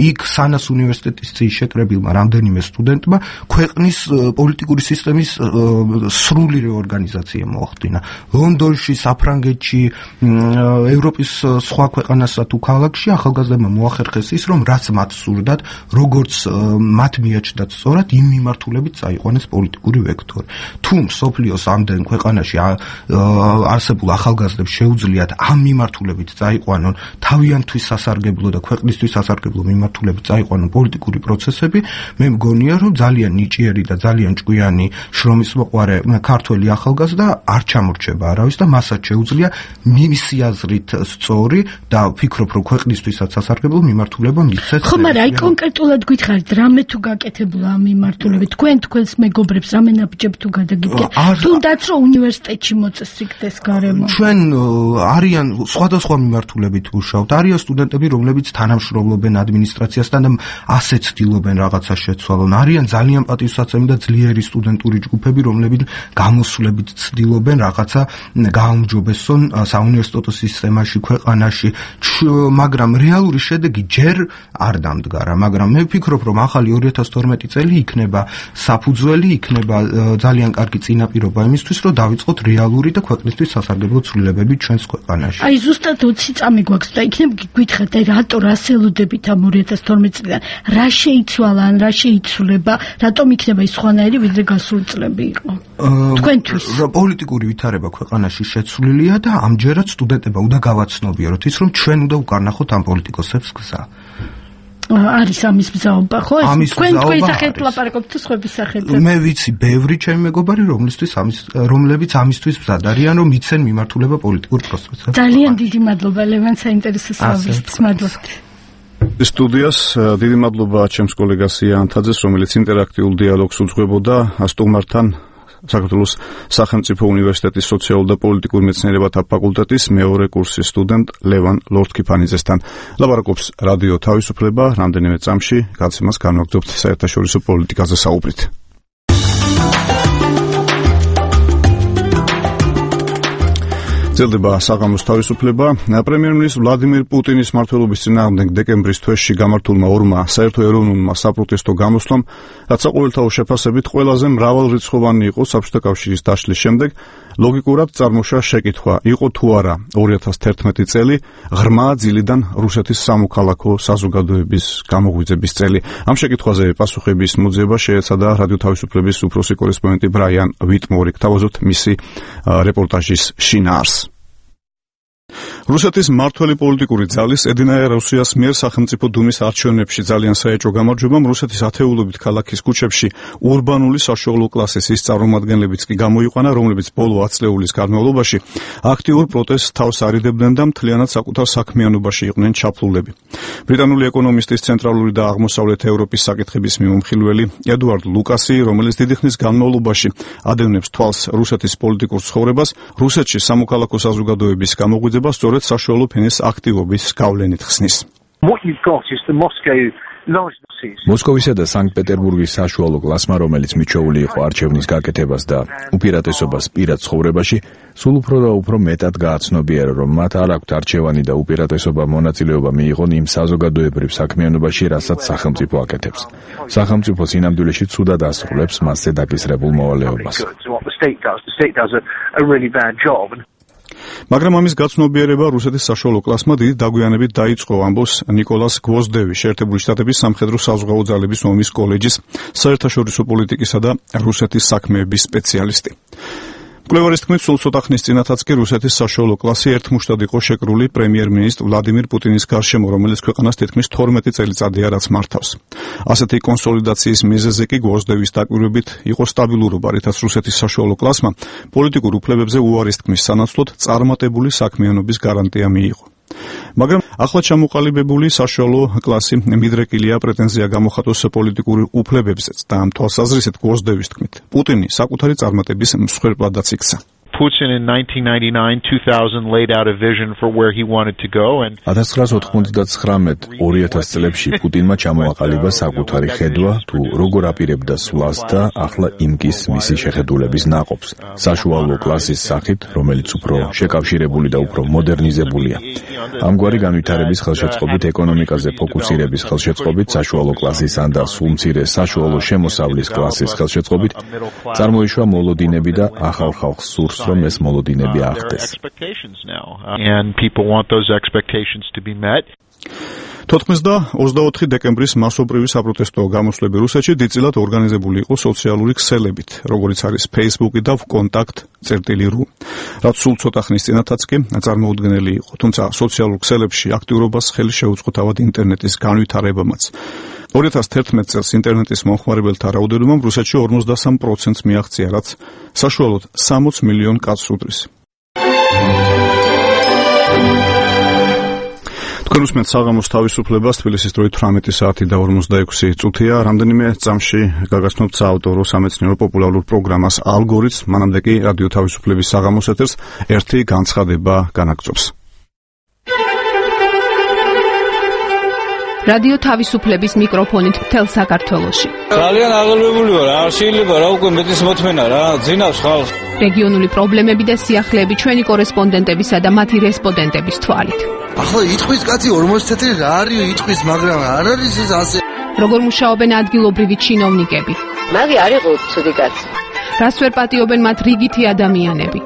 იქ სანას უნივერსიტეტის შეკრებილმა რამდენიმე სტუდენტმა ქვეყნის პოლიტიკური სისტემის სრული რეორგანიზაცია მოახდინა. ლონდონში, საფრანგეთში, ევროპის სხვა ქვეყანასა თუ ქალაქში ახალგაზრდებმა მოახერხეს ის, რომ რაც მათ სურდათ, როგორც მათ მიაჩნდათ სწორად, იმ მიმართულებით წაიყვანეს პოლიტიკური ვექტორი. თუ სოფლიოს ამდენ ქვეყანაში არსებულ ახალგაზრდებს შეუძლიათ ამ მიმართულებით წაიყვანონ თავიანთვის სასარგებლო და ქვეყნისთვის სასარგებლო მიმართულებით წაიყვანონ პოლიტიკური პროცესები, მე მგონია, რომ ძალიან ნიჭიერი და ძალიან ჭკვიანი შრომის მოყვარე ქართველი ახალგაზრდა არ ჩამორჩება არავის და მასაც შეუძლია მისი აზრით სწორი და ვფიქრობ, რომ ქვეყნისთვისაც სასარგებლო მიმართულება მისცეს. ხო, მაგრამ აი კონკრეტულად გითხარით, რამე თუ გაკეთებულა ამ მიმართულებით, თქვენ თქვენს მეგობრებს რამე ნაბიჯებ თუ გადაგიგეთ, თუნდაც რომ უნივერსიტეტში მოწესრიგდეს გარემო. ჩვენ არიან სხვადასხვა მიმართულებით ვუშავთ. არიან სტუდენტები, რომლებიც თანამშრომლობენ ადმინისტრაციასთან და ასე ცდილობენ რაღაცა შეცვალონ. არიან ძალიან პატივსაცემი და ძლიერი სტუდენტური ჯგუფები, რომლებიც გამოსვლებით ცდილობენ რაღაცა გააუმჯობესონ საუნივერსიტეტო სისტემაში, ქვეყანაში, მაგრამ რეალური შედეგი ჯერ არ დამდგარა. მაგრამ მე ვფიქრობ, რომ ახალი ორი ათას თორმეტი წელი იქნება საფუძველი, იქნება ძალიან კარგი წინაპირობა იმისთვის, რომ დავიწყოთ რეალური და ქვეყნისთვის სასარგებლო ცვლილებები ჩვენს ქვეყანაში. აი ზუსტად ოცი წამი გვაქვს და იქნებ გითხრათ, აი რატო რა ელოდებით ამ ორი ათას თორმეტი წლიდან? რა შეიცვალა, ან რა შეიცვლება, რატომ იქნება ის სხვანაირი, ვიდრე გასული წლები იყო? თქვენთვის პოლიტიკური ვითარება ქვეყანაში შეცვლილია და ამჯერად სტუდენტებმა უნდა გავაცნობიეროთ ის, რომ ჩვენ უნდა უკარნახოთ ამ პოლიტიკოსებს გზა. არის ამის მზაობა, ხო? თქვენ თქვენი სახით ლაპარაკობთ თუ სხვების სახით? მე ვიცი, ბევრი ჩემი მეგობარი, რომლისთვის ამის რომლებიც ამისთვის მზად არიან, რომ იცენ მიმართულება პოლიტიკურ პროცესებს. ძალიან დიდი მადლობა ლევან საინტერესო საუბრისთვის. მადლობა. სტუდიას დიდი მადლობა ჩემს კოლეგას იან თაძეს, რომელიც ინტერაქტიულ დიალოგს უძღვებოდა სტუმართან. საქართველოს სახელმწიფო უნივერსიტეტის სოციალურ და პოლიტიკურ მეცნიერებათა ფაკულტეტის მეორე კურსის სტუდენტ ლევან ლორთქიფანიძესთან. ლაპარაკობს რადიო თავისუფლება, რამდენიმე წამში გაცემას განვაგრძობთ საერთაშორისო პოლიტიკაზე საუბრით. ძლდება საღამოს თავისუფლება. პრემიერ-მინისტр ვლადიმირ პუტინის მმართველობის წინააღმდეგ დეკემბრის თვეში გამართულმა ორმა საერთო ეროვნულმა საპროტესტო გამოსვლამ, რაც საყოველთაო შეფასებით ყველაზე მრავალრიცხოვანი იყო საბჭოთა კავშირის დაშლის შემდეგ, ლოგიკურად წარმოშვა შეკითხვა, იყო თუ არა ორი ათას თერთმეტი წელი ღრმა ძილიდან რუსეთის სამოქალაქო საზოგადოების გამოღვიძების წელი. ამ შეკითხვაზე პასუხების მოძიება შეეცადა რადიო თავისუფლების უფროსი კორესპონდენტი ბრაიან ვიტმორი. გთავაზობთ მისი რეპორტაჟის შინაარსს. რუსეთის მმართველი პოლიტიკური ძალის ედინაია რუსიას მიერ სახელმწიფო დუმის არჩევნებში ძალიან საეჭვო გამარჯვებამ რუსეთის ათეულობით ქალაქის ქუჩებში ურბანული საშუალო კლასის ის წარმომადგენლებიც კი გამოიყვანა, რომლებიც ბოლო ათი წლეულის განმავლობაში აქტიურ პროტესტს თავს არიდებდნენ და მთლიანად საკუთარ საქმიანობაში იყვნენ ჩაფლულები. ბრიტანული ეკონომისტის ცენტრალური და აღმოსავლეთ ევროპის საკითხების მიმომხილველი ედუარდ ლუკასი, რომელიც დიდი ხნის განმავლობაში ადევნებს თვალს რუსეთის პოლიტიკურ ცხოვრებას, რუსეთში სამოქალაქო საზოგადოების გამოღვიძება სწორედ საშუალო ფენის აქტივობის გავლენით ხსნის. მოსკოვისა და სანქტ-პეტერბურგის საშუალო კლასმა, რომელიც მიჩვეული იყო არჩევნის გაკეთებას და უპირატესობას პირად ცხოვრებაში, სულ უფრო და უფრო მეტად გააცნობიერა, რომ მათ არ აქვთ არჩევანი და უპირატესობა მონაწილეობა მიიღონ იმ საზოგადოებრივ საქმიანობაში, რასაც სახელმწიფო აკეთებს. სახელმწიფო სინამდვილეში ცუდად ასრულებს მასზე დაკისრებულ მოვალეობას. მაგრამ ამის გაცნობიერება რუსეთის საშუალო კლასმა დიდი დაგვიანებით დაიწყო, ამბობს ნიკოლას გვოზდევი, შეერთებული შტატების სამხედრო საზღვაო ძალების ომის კოლეჯის საერთაშორისო პოლიტიკისა და რუსეთის საქმეების სპეციალისტი. მკვლევარის თქმით, სულ ცოტა ხნის წინათაც კი რუსეთის საშუალო კლასი ერთმუშტად იყო შეკრული პრემიერ-მინისტრ ვლადიმირ პუტინის გარშემო, რომელიც ქვეყანას თითქმის თორმეტი წელიწადია რაც მართავს. ასეთი კონსოლიდაციის მიზეზი კი გვოზდევის დაკვირვებით იყო სტაბილურობა, რითაც რუსეთის საშუალო კლასმა პოლიტიკურ უფლებებზე უარის თქმის სანაცვლოდ წარმატებული საქმიანობის გარანტია მიიღო. მაგრამ ახლა ჩამოყალიბებული საშუალო კლასი მიდრეკილია პრეტენზია გამოხატოს პოლიტიკური უფლებებზეც და ამ თვალსაზრისით გვოზდევის თქმით, პუტინი საკუთარი წარმატების მსხვერპლადაც იქცა. Putin in nineteen ninety-nine two thousand laid out a vision for where he wanted to go and ათას ცხრაას ოთხმოცდათხრამეტ ორი ათას წლებში პუტინმა ჩამოაყალიბა საკუთარი ხედვა თუ როგორ აპირებდა სვლას და ახლა იმკის მისი შეხედულების ნაყოფს საშუალო კლასის სახით, რომელიც უფრო შეკავშირებული და უფრო მოდერნიზებულია. ამგვარი განვითარების ხელშეწყობით, ეკონომიკაზე ფოკუსირების ხელშეწყობით, საშუალო კლასისან და სულ მცირე საშუალო შემოსავლის კლასის ხელშეწყობით წარმოიშვა მოლოდინები და ახალ ხალხს სურს რომ ეს მოლოდინები ახდეს. And people want those expectations to be met. თოთხმეტი და ოცდაოთხი დეკემბრის მასობრივი საპროტესტო გამოსვლები რუსეთში დიდწილად ორგანიზებული იყო სოციალური ქსელებით, როგორიც არის Facebook და Vkontakte წერტილი ru. რაც სულ ცოტა ხნის წინათაც კი წარმოუდგენელი იყო, თუმცა სოციალურ ქსელებში აქტიურობას ხელი შეუწყო თავად ინტერნეტის განვითარებამაც. ორი ათას თერთმეტ წელს ინტერნეტის მომხმარებელთა რაოდენობამ რუსეთში ორმოცდასამ პროცენტს მიაღწია, რაც საშუალოდ სამოცი მილიონ კაცს უდრის. თქვენ უსმენთ საღამოს თავისუფლებას, თბილისის დროით თვრამეტი საათი და ორმოცდაექვსი წუთია. რამდენიმე წამში გაგაცნობთ საავტორო სამეცნიერო პოპულარულ პროგრამას ალგორითმს, მანამდე კი რადიო თავისუფლების საღამოს ეთერს ერთი განცხადება განაგრძობს. რადიო თავისუფლების მიკროფონით მთელ საქართველოში. ძალიან აღელვებული ვარ, არ შეიძლება რა უკვე მეტის მოთმენა რა, ძინავს ხალხს. რეგიონული პრობლემები და სიახლეები ჩვენი კორესპონდენტებისა და მათი რესპონდენტების თვალით. ახლა იტყვის კაცი ორმოცი თეთრი რა არის იტყვის, მაგრამ არ არის ეს ასე. როგორ მუშაობენ ადგილობრივი ჩინოვნიკები? მაგი არ იყო ცუდი კაცი. რას ვერ პატიობენ მათ რიგითი ადამიანები?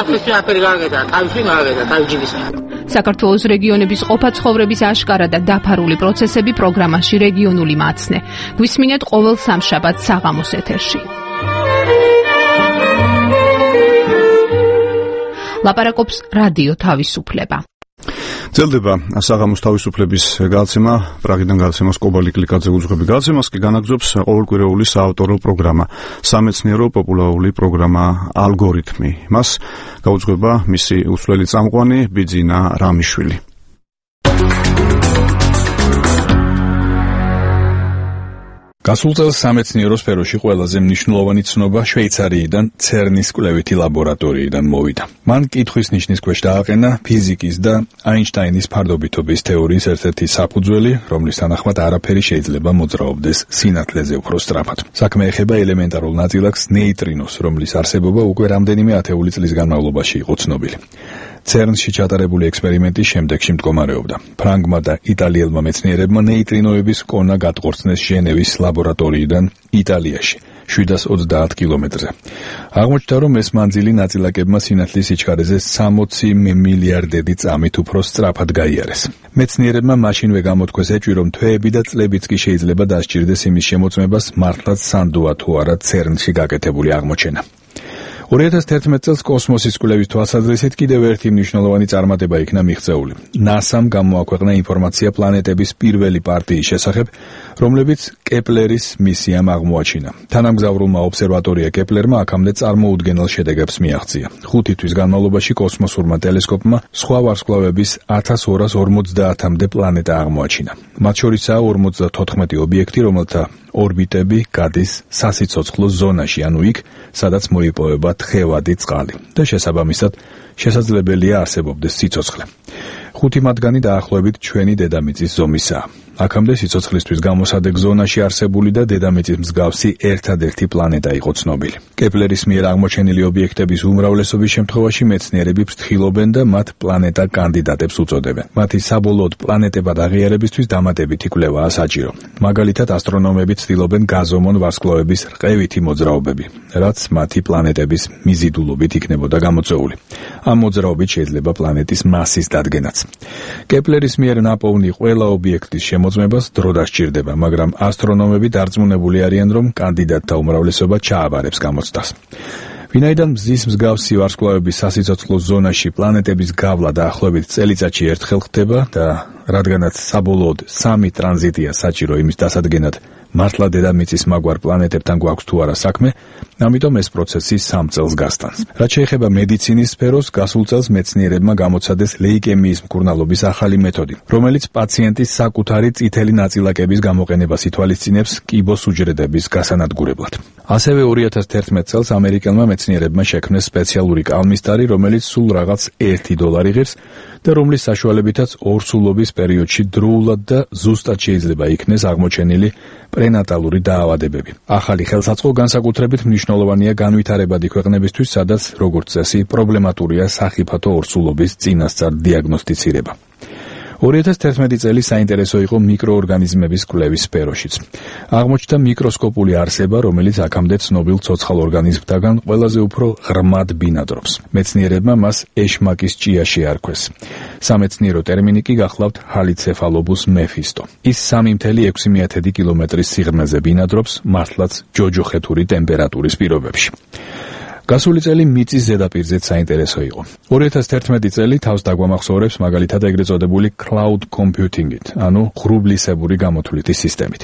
აფრიკი აფერი გაგედა, თავში გაგედა, თავჯიბის. საქართველოს რეგიონების ყოფა ცხოვრების აშკარა და დაფარული პროცესები პროგრამაში რეგიონული მაცნე. გვისმინეთ ყოველ სამშაბათს საღამოს ეთერში. ლაპარაკობს რადიო თავისუფლება. ძელდება საღამოს თავისუფლების გადაცემა, პრაღიდან გადაცემას კობალი კლიკაძე უძღვები გადაცემას კი განაგრძობს ყოველკვირეული საავტორო პროგრამა, სამეცნიერო პოპულარული პროგრამა ალგორითმი. მას გაუძღვება მისი უცვლელი წამყვანი ბიძინა რამიშვილი. გასულ წელს სამეცნიერო სფეროში ყველაზე მნიშვნელოვანი ცნობა შვეიცარიიდან ცერნის კვლევითი ლაბორატორიიდან მოვიდა. მან კითხვის ნიშნის ქვეშ დააყენა ფიზიკის და აინშტაინის ფარდობითობის თეორიის ერთ-ერთი საფუძველი, რომლის თანახმად არაფერი შეიძლება მოძრაობდეს სინათლეზე უფრო სწრაფად. საქმე ეხება ელემენტარულ ნაწილაკს ნეიტრინოს, რომლის არსებობა უკვე რამდენიმე ათეული წლის განმავლობაში იყო ცნობილი. ცერნში ჩატარებული ექსპერიმენტის შემდეგში მდგომარეობდა. ფრანგმა და იტალიელმა მეცნიერებმა ნეიტრინოების კონა გატყორცნეს ჟენევის ლაბორატორიიდან იტალიაში, შვიდას ოცდაათ კილომეტრზე. აღმოჩნდა, რომ ეს მანძილი ნაწილაკებმა სინათლის სიჩქარეზე სამოცი მილიარდედი წამით უფრო სწრაფად გაიარეს. მეცნიერებმა მაშინვე გამოთქვეს ეჭვი, რომ თვეები და წლებიც კი შეიძლება დასჭირდეს იმის შემოწმებას, მართლაც სანდოა თუ არა ცერნში გაკეთებული აღმოჩენა. ორი ათას თერთმეტ წელს კოსმოსის კვლევის თვალსაზრისით კიდევ ერთი მნიშვნელოვანი წარმატება იქნა მიღწეული. ნასამ გამოაქვეყნა ინფორმაცია პლანეტების პირველი პარტიის შესახებ, რომლებიც კეპლერის მისიამ აღმოაჩინა. თანამგზავრულმა ობსერვატორია კეპლერმა აქამდე წარმოუდგენელ შედეგებს მიაღწია. ხუთი თვის განმავლობაში კოსმოსურმა ტელესკოპმა სხვა ვარსკვლავების ათას ორას ორმოცდაათამდე პლანეტა აღმოაჩინა. მათ შორისაა ორმოცდათოთხმეტი ობიექტი, რომელთა ორბიტები გადის სასიცოცხლო ზონაში, ანუ იქ, სადაც მოიპოვება თხევადი წყალი და შესაბამისად შესაძლებელია არსებობდეს სიცოცხლე. ხუთი მათგანი დაახლოებით ჩვენი დედამიწის ზომისაა. აქამდე სიცოცხლისთვის გამოსადეგ ზონაში არსებული და დედამიწის მსგავსი ერთადერთი პლანეტა იყო ცნობილი. კეპლერის მიერ აღმოჩენილი ობიექტების უმრავლესობის შემთხვევაში მეცნიერები ფრთხილობენ და მათ პლანეტა კანდიდატებს უწოდებენ. მათი საბოლოოდ პლანეტებად აღიარებისთვის დამატებითი კვლევაა საჭირო. მაგალითად, ასტრონომები ცდილობენ გაზომონ ვარსკვლავების რყევითი მოძრაობები, რაც მათი პლანეტების მიზიდულობით იქნებოდა გამოწვეული. ამ მოძრაობით შეიძლება პლანეტის მასის დადგენაც. კეპლერის მიერ ნაპოვნი ყველა ობიექტის მოწმებას დრო დასჭირდება, მაგრამ ასტრონომები დარწმუნებული არიან, რომ კანდიდატთა უმრავლესობა ჩააბარებს გამოცდას. ვინაიდან მზის მსგავსი ვარსკვლავების სასიცოცხლო ზონაში პლანეტების გავლა დაახლოებით წელიწადში ერთხელ ხდება და რადგანაც საბოლოოდ სამი ტრანზიტია საჭირო იმის დასადგენად, მართლა დედამიწის მაგვარ პლანეტებთან გვაქვს თუ არა საქმე, ამიტომ ეს პროცესი სამ წელს გასტანს. რაც შეეხება მედიცინის სფეროს, გასულ წელს მეცნიერებმა გამოცადეს ლეიკემიის მკურნალობის ახალი მეთოდი, რომელიც პაციენტის საკუთარი წითელი ნაწილაკების გამოყენებას ითვალისწინებს კიბოს უჯრედების გასანადგურებლად. ასევე ორი ათას თერთმეტ წელს ამერიკელმა მეცნიერებმა შექმნეს სპეციალური კალმისტარი, რომელიც სულ რაღაც ერთი დოლარი ღირს და რომლის საშუალებითაც ორსულობის პერიოდში დროულად და ზუსტად შეიძლება იქნეს აღმოჩენილი პრენატალური დაავადებები. ახალი ხელსაწყო განსაკუთრებით მნიშვნელოვანია განვითარებადი ქვეყნებისთვის, სადაც, როგორც წესი, პრობლემატურია სახიფათო ორსულობის წინასწარ დიაგნოსტიცირება. ორი ათას თერთმეტი წელი საინტერესო იყო მიკროორგანიზმების კვლევის სფეროშიც. აღმოჩნდა მიკროსკოპული არსება, რომელიც აქამდე ცნობილ ცოცხალ ორგანიზმთაგან ყველაზე უფრო ღრმად ბინადრობს. მეცნიერებმა მას ეშმაკის ჭია შეარქვეს. სამეცნიერო ტერმინი კი გახლავთ ჰალიცეფალობუს მეფისტო. ის სამი მეთერთმეტ ექვსი მეთერთმეტი კილომეტრის სიღრმეზე ბინადრობს, მართლაც ჯოჯოხეთური ტემპერატურის პირობებში. გასული წელი მიწის ზედაპირზეც საინტერესო იყო. ორი ათას თერთმეტი წელი თავს დაგვამახსოვრებს მაგალითად ეგრეთ წოდებული cloud computing-ით, ანუ ღრუბლისებური გამოთვლითი სისტემით.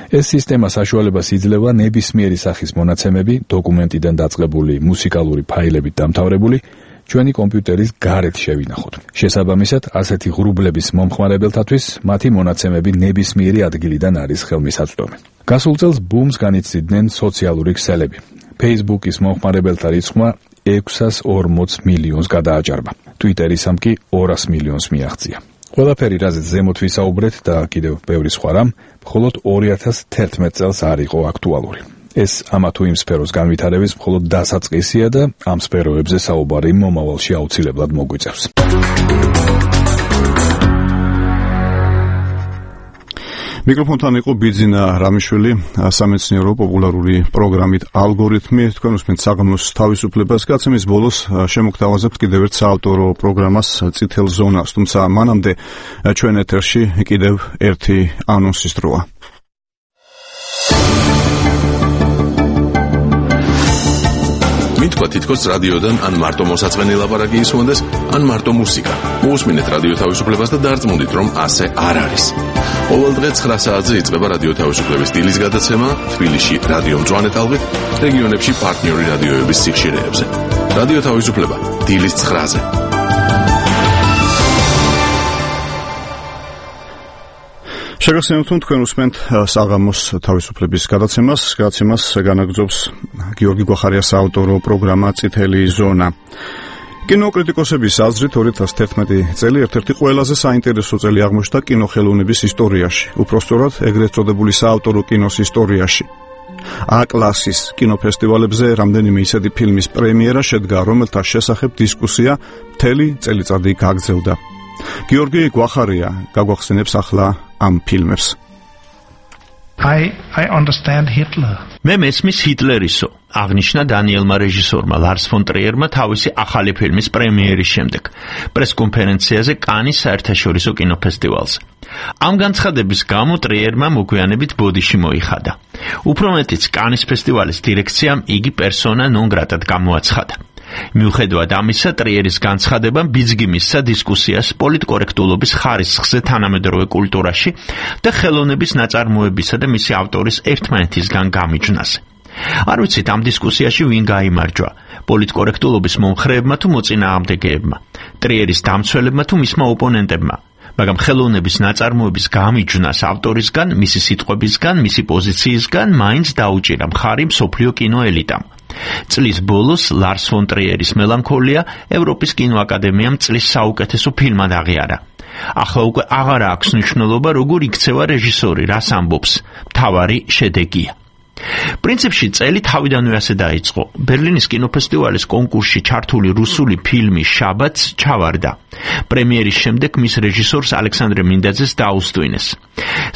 ეს სისტემა საშუალებას იძლევა ნებისმიერი სახის მონაცემები, დოკუმენტიდან დაწყებული მუსიკალური ფაილებით დამთავრებული, ჩვენი კომპიუტერის გარეთ შევინახოთ. შესაბამისად, ასეთი ღრუბლების მომხმარებელთათვის მათი მონაცემები ნებისმიერი ადგილიდან არის ხელმისაწვდომი. გასულ წელს ბუმს განიცდიდნენ სოციალური ქსელები. Facebook-ის მომხმარებელთა რიცხვმა ექვსას ორმოც მილიონს გადააჭარბა. Twitter-ისამ კი ორას მილიონს მიაღწია. ყველაფერი, რაზეც ზემოთ ვისაუბრეთ და კიდევ ბევრი სხვა რამ, მხოლოდ ორი ათას თერთმეტ წელს არ იყო აქტუალური. ეს ამა თუ იმ სფეროს განვითარების მხოლოდ დასაწყისია და ამ სფეროებზე საუბარი მომავალში აუცილებლად მოგვიწევს. მიკროფონთან იყო ბიძინა რამიშვილი, სამეცნიერო პოპულარული პროგრამით ალგორითმი. თქვენ უსმენთ საღამოს თავისუფლებას. გაცემის ბოლოს შემოგთავაზებთ კიდევ ერთ საავტორო პროგრამას წითელ ზონას, თუმცა მანამდე ჩვენ ეთერში კიდევ ერთი ანონსის დროა. მითქვა თითქოს რადიოდან ან მარტო მოსაწყენი ლაპარაკი ისმონდეს, ან მარტო მუსიკა. მოусმინეთ რადიო თავისუფლებას და დარწმუნდით, რომ ასე არ არის. ყოველ დღე ცხრა საათზე იწყება რადიო თავისუფლების დილის გადაცემა თბილისში რადიო მწვანე ტალღით, რეგიონებში პარტნიორი რადიოების სიხშირეებზე. რადიო თავისუფლება დილის ცხრაზე. შეგახსენებთ, რომ თქვენ უსმენთ საღამოს თავისუფლების გადაცემას. გადაცემას განაგრძობს გიორგი გვახარიას საავტორო პროგრამა წითელი ზონა. კინოკრიტიკოსების აზრით ორი ათას თერთმეტი წელი ერთ-ერთი ყველაზე საინტერესო წელი აღმოჩნდა კინოხელოვნების ისტორიაში, უпростоრად ეგრეთ წოდებული საავტორო კინოს ისტორიაში. A-კლასის კინოფესტივალებზე რამდენიმე ისეთი ფილმის პრემიერა შედგა, რომელთა შესახებ დისკუსია მთელი წელიწადი გაგრძელდა. გიორგი გვახარია გაგვახსენებს ახლა ამ ფილმებს. I I understand Hitler. მე მესმის ჰიტლერისო, აღნიშნა დანიელმა რეჟისორმა ლარს ფონ ტრიერმა თავისი ახალი ფილმის პრემიერის შემდეგ პრესკონფერენციაზე კანის საერთაშორისო კინოფესტივალზე. ამ განცხადების გამო ტრიერმა მოგვიანებით ბოდიში მოიხადა. უფრო მეტიც, კანის ფესტივალის დირექციამ იგი პერსონა ნონ გრატად გამოაცხადა. მიუხედავად ამისა, ტრიერის განცხადებამ ბიძგი მისცა დისკუსიას პოლიტკორექტულობის ხარისხზე თანამედროვე კულტურაში და ხელოვნების ნაწარმოებისა და მისი ავტორის ერთმანეთისგან გამიჯვნაზე. არ ვიცით ამ დისკუსიაში ვინ გაიმარჯვა, პოლიტკორექტულობის მომხრეებმა თუ მოწინააღმდეგეებმა, ტრიერის დამცველებმა თუ მისმა ოპონენტებმა, მაგრამ ხელოვნების ნაწარმოების გამიჯვნას ავტორისგან, მისი სიტყვებისგან, მისი პოზიციისგან მაინც დაუჭირა მხარი მსოფლიო კინოელიტამ. წლის ბოლოს ლარს ფონ ტრიერის მელანქოლია ევროპის კინოაკადემიამ წლის საუკეთესო ფილმად აღიარა. ახლა უკვე აღარ აქვს მნიშვნელობა, როგორ იქცევა რეჟისორი, რას ამბობს, მთავარი შედეგია. პრინციპში წელი თავიდანვე ასე დაიწყო. ბერლინის კინოფესტივალის კონკურსში ჩართული რუსული ფილმი შაბათს ჩავარდა. პრემიერის შემდეგ მის რეჟისორს ალექსანდრე მინდაძეს დაუსტვინეს.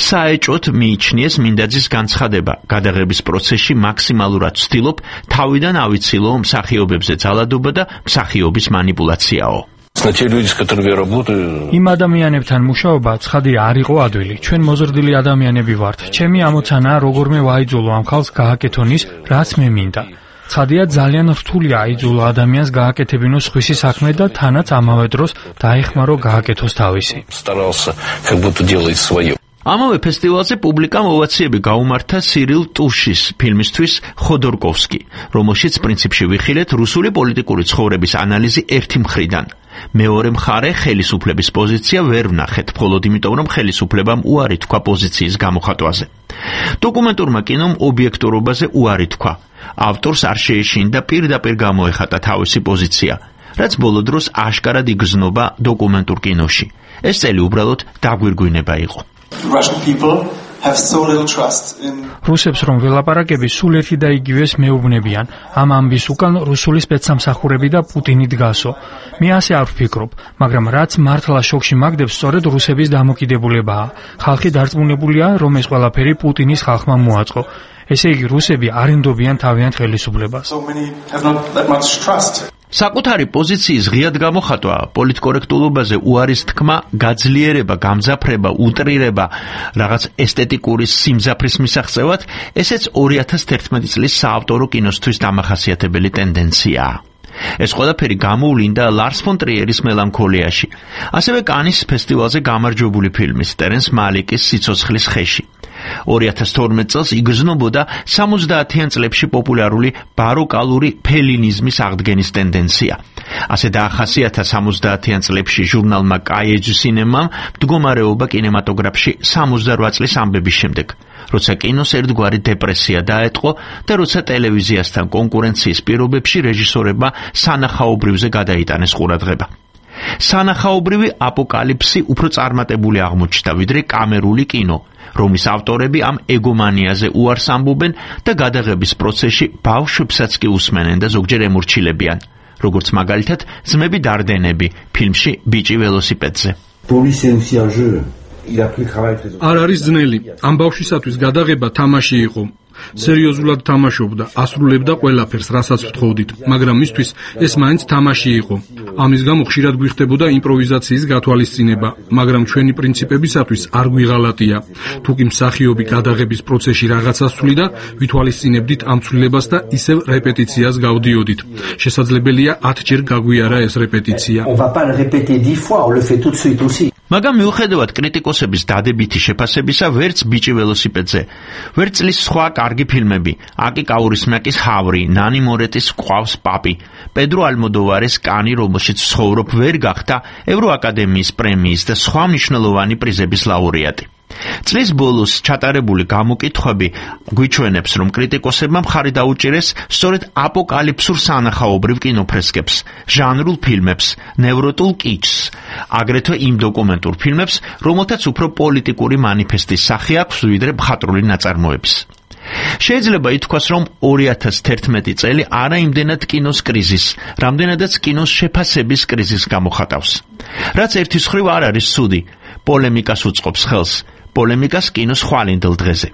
საეჭვოდ მიიჩნიეს მინდაძის განცხადება, გადაღების პროცესში მაქსიმალურად ვცდილობ თავიდან ავიცილო მსახიობებზე ძალადობა და მსახიობის манипуляციაო. იმ ადამიანებთან მუშაობა ცხადი არ იყო ადვილი. ჩვენ მოზრდილი ადამიანები ვართ. ჩემი ამოცანაა როგორმე ვაიძულო ამ ხალხს გააკეთონ ის, რაც მე მინდა. ცხადია ძალიან რთულია აიძულო ადამიანს გააკეთებინოს სხვისი საქმე და თანაც ამავე დროს დაეხმარო გააკეთოს თავისი. ამავე ფესტივალზე პუბლიკამ ოვაციები გაუმართა სირილ ტუშის ფილმისთვის ხოდორკოვსკი, რომელშიც პრინციპში ვიხილეთ რუსული პოლიტიკური ცხოვრების ანალიზი ერთი მხრიდან. მეორე მხარე ხელისუფლების პოზიცია ვერ ვნახეთ, მხოლოდ იმიტომ, რომ ხელისუფლებამ უარი თქვა პოზიციის გამოხატვაზე. დოკუმენტურმა კინომ ობიექტურობაზე უარი თქვა. ავტორს არ შეეშინდა პირდაპირ გამოეხატა თავისი პოზიცია, რაც ბოლო დროს აშკარად იგრძნობა დოკუმენტურ კინოში. ეს წელი უბრალოდ დაგვირგვინება იყო. რუსებს რომ ველაპარაკები სულ ერთი და იგივეს მეუბნებიან. ამ ამბის უკან რუსული სპეცსამსახურები და პუტინი დგასო. მე ასე არ ვფიქრობ, მაგრამ რაც მართლა შოკში მაგდებს სწორედ რუსების დამოკიდებულებაა. ხალხი დარწმუნებულია, რომ ეს ყველაფერი პუტინის ხალხმა მოაწყო. ესე იგი რუსები არ ენდობიან თავიანთ ხელისუფლებას. საკუთარი პოზიციის ღიად გამოხატვა, პოლიტკორექტულობაზე უარის თქმა, გაძლიერება, გამძაფრება, უტრირება, რაღაც ესთეტიკური სიმძაფრის მისაღწევად, ესეც ორი ათას თერთმეტი წლის საავტორო კინოსთვის დამახასიათებელი ტენდენციაა. ეს ყველაფერი გამოვლინდა ლარს ფონ ტრიერის მელანქოლიაში, ასევე კანის ფესტივალზე გამარჯვებული ფილმის ტერენს მალიკის სიცოცხლის ხეში. ორი ათას თორმეტ წელს იგრძნობოდა სამოცდაათიან წლებში პოპულარული ბაროკალური ფელინიზმის აღდგენის ტენდენცია. ასე დაახასიათა სამოცდაათიან წლებში ჟურნალმა კაიეჯი სინემამ მდგომარეობა კინემატოგრაფში სამოცდარვა წლის ამბების შემდეგ, როცა კინოს ერთგვარი დეპრესია დაეტყო და როცა ტელევიზიასთან კონკურენციის პირობებში რეჟისორებმა სანახაობრივზე გადაიტანეს ყურადღება. სანახაობრივი აპოკალიფსი უფრო წარმატებული აღმოჩნდა, ვიდრე კამერული კინო, რომლის ავტორები ამ ეგომანიაზე უარს ამბობენ და გადაღების პროცესში ბავშვებსაც კი უსმენენ და ზოგჯერ ემორჩილებიან, როგორც მაგალითად ძმები დარდენები ფილმში ბიჭი ველოსიპედზე. არ არის ძნელი. ამ ბავშვისათვის გადაღება თამაში იყო. სერიოზულად თამაშობდა, ასრულებდა ყველაფერს, რასაც ვთხოვდით, მაგრამ მისთვის ეს მაინც თამაში იყო. ამის გამო ხშირად გვიხდებოდა იმპროვიზაციის გათვალისწინება, მაგრამ ჩვენი პრინციპებისათვის არ გვიღალატია. თუკი მსახიობი გადაღების პროცესში რაღაცას ცვლიდა, ვითვალისწინებდით ამ ცვლილებას და ისევ რეპეტიციას გავდიოდით. შესაძლებელია ათჯერ გაგვიარა ეს რეპეტიცია. მაგრამ მიუხედავად კრიტიკოსების დადებითი შეფასებისა, ვერც ბიჭი ველოსიპედზე, ვერც წლის სხვა კარგი ფილმები, აკი კაურისმაკის ჰავრი, ნანი მორეტის ყავს პაპი, პედრო ალმოდოვარის კანი, რომელშიც ცხოვრობ, ვერ გახდა ევროაკადემიის პრემიის და სხვა მნიშვნელოვანი პრიზების ლაურეატი. წლის ბოლოს ჩატარებული გამოკითხვები გვიჩვენებს, რომ კრიტიკოსებმა მხარი დაუჭირეს სწორედ აპოკალიფსურ სანახაობრივ კინოფრესკებს, ჟანრულ ფილმებს, ნევროტულ კიჩს, აგრეთვე იმ დოკუმენტურ ფილმებს, რომელთაც უფრო პოლიტიკური მანიფესტის სახე აქვს, ვიდრე მხატვრული ნაწარმოების. შეიძლება ითქვას, რომ ორი ათას თერთმეტი წელი არა იმდენად კინოს კრიზისს, რამდენადაც კინოს შეფასების კრიზისს გამოხატავს. რაც ერთის მხრივ არ არის ცუდი, პოლემიკას უწყობს ხელს, პოლემიკას კინოს ხვალინდელ დღეზე.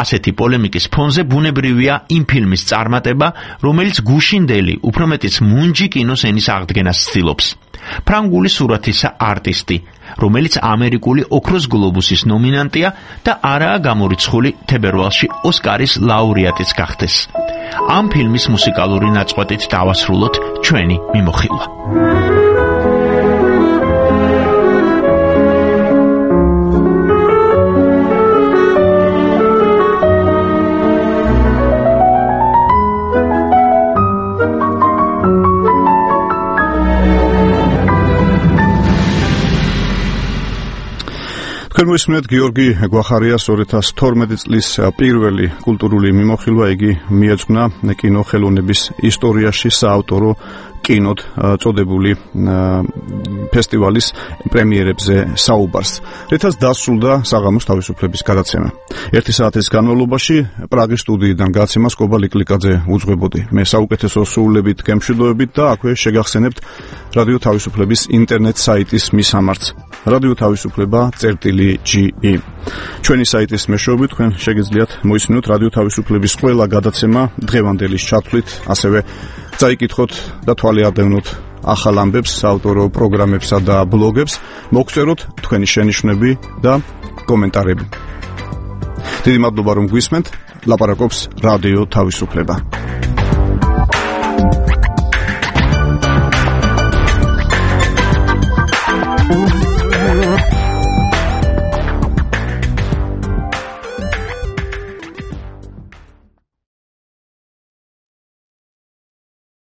ასეთი პოლემიკის ფონზე ბუნებრივია იმ ფილმის წარმატება, რომელიც გუშინდელი, უფრო მეტიც მუნჯი კინოს ენის აღდგენას ცდილობს. ფრანგული სურათისა არტისტი, რომელიც ამერიკული ოქროს გლობუსის ნომინანტია და არაა გამორიცხული თებერვალში ოსკარის ლაურეატიც გახდეს. ამ ფილმის მუსიკალური ნაწყვეტით დავასრულოთ ჩვენი მიმოხილვა. თქვენ მისმენთ გიორგი გვახარიას ორი ათას თორმეტი წლის პირველი კულტურული მიმოხილვა, იგი მიეძღვნა კინოხელოვნების ისტორიაში საავტორო კინოდ წოდებული ფესტივალის პრემიერებზე საუბარს. რითაც დასრულდა საღამოს თავისუფლების გადაცემა. ერთი საათის განმავლობაში პრაღის სტუდიიდან გაცემას კობა ლიკლიკაძე უძღვებოდი. მე საუკეთესო სრულებით გემშვიდობებით და აქვე შეგახსენებთ რადიო თავისუფლების ინტერნეტ საიტის მისამართს. რადიო თავისუფლება წერტილი ჯი ი. ჩვენი საიტის მეშვეობით თქვენ შეგიძლიათ მოისმინოთ რადიო თავისუფლების ყველა გადაცემა დღევანდელის ჩათვლით, ასევე წაიკითხოთ და თვალე ადევნოთ ახალ ამბებს, საავტორო პროგრამებსა და ბლოგებს, მოგწეროთ თქვენი შენიშვნები და კომენტარები. დიდი მადლობა რომ გვისმენთ. ლაპარაკობს რადიო თავისუფლება.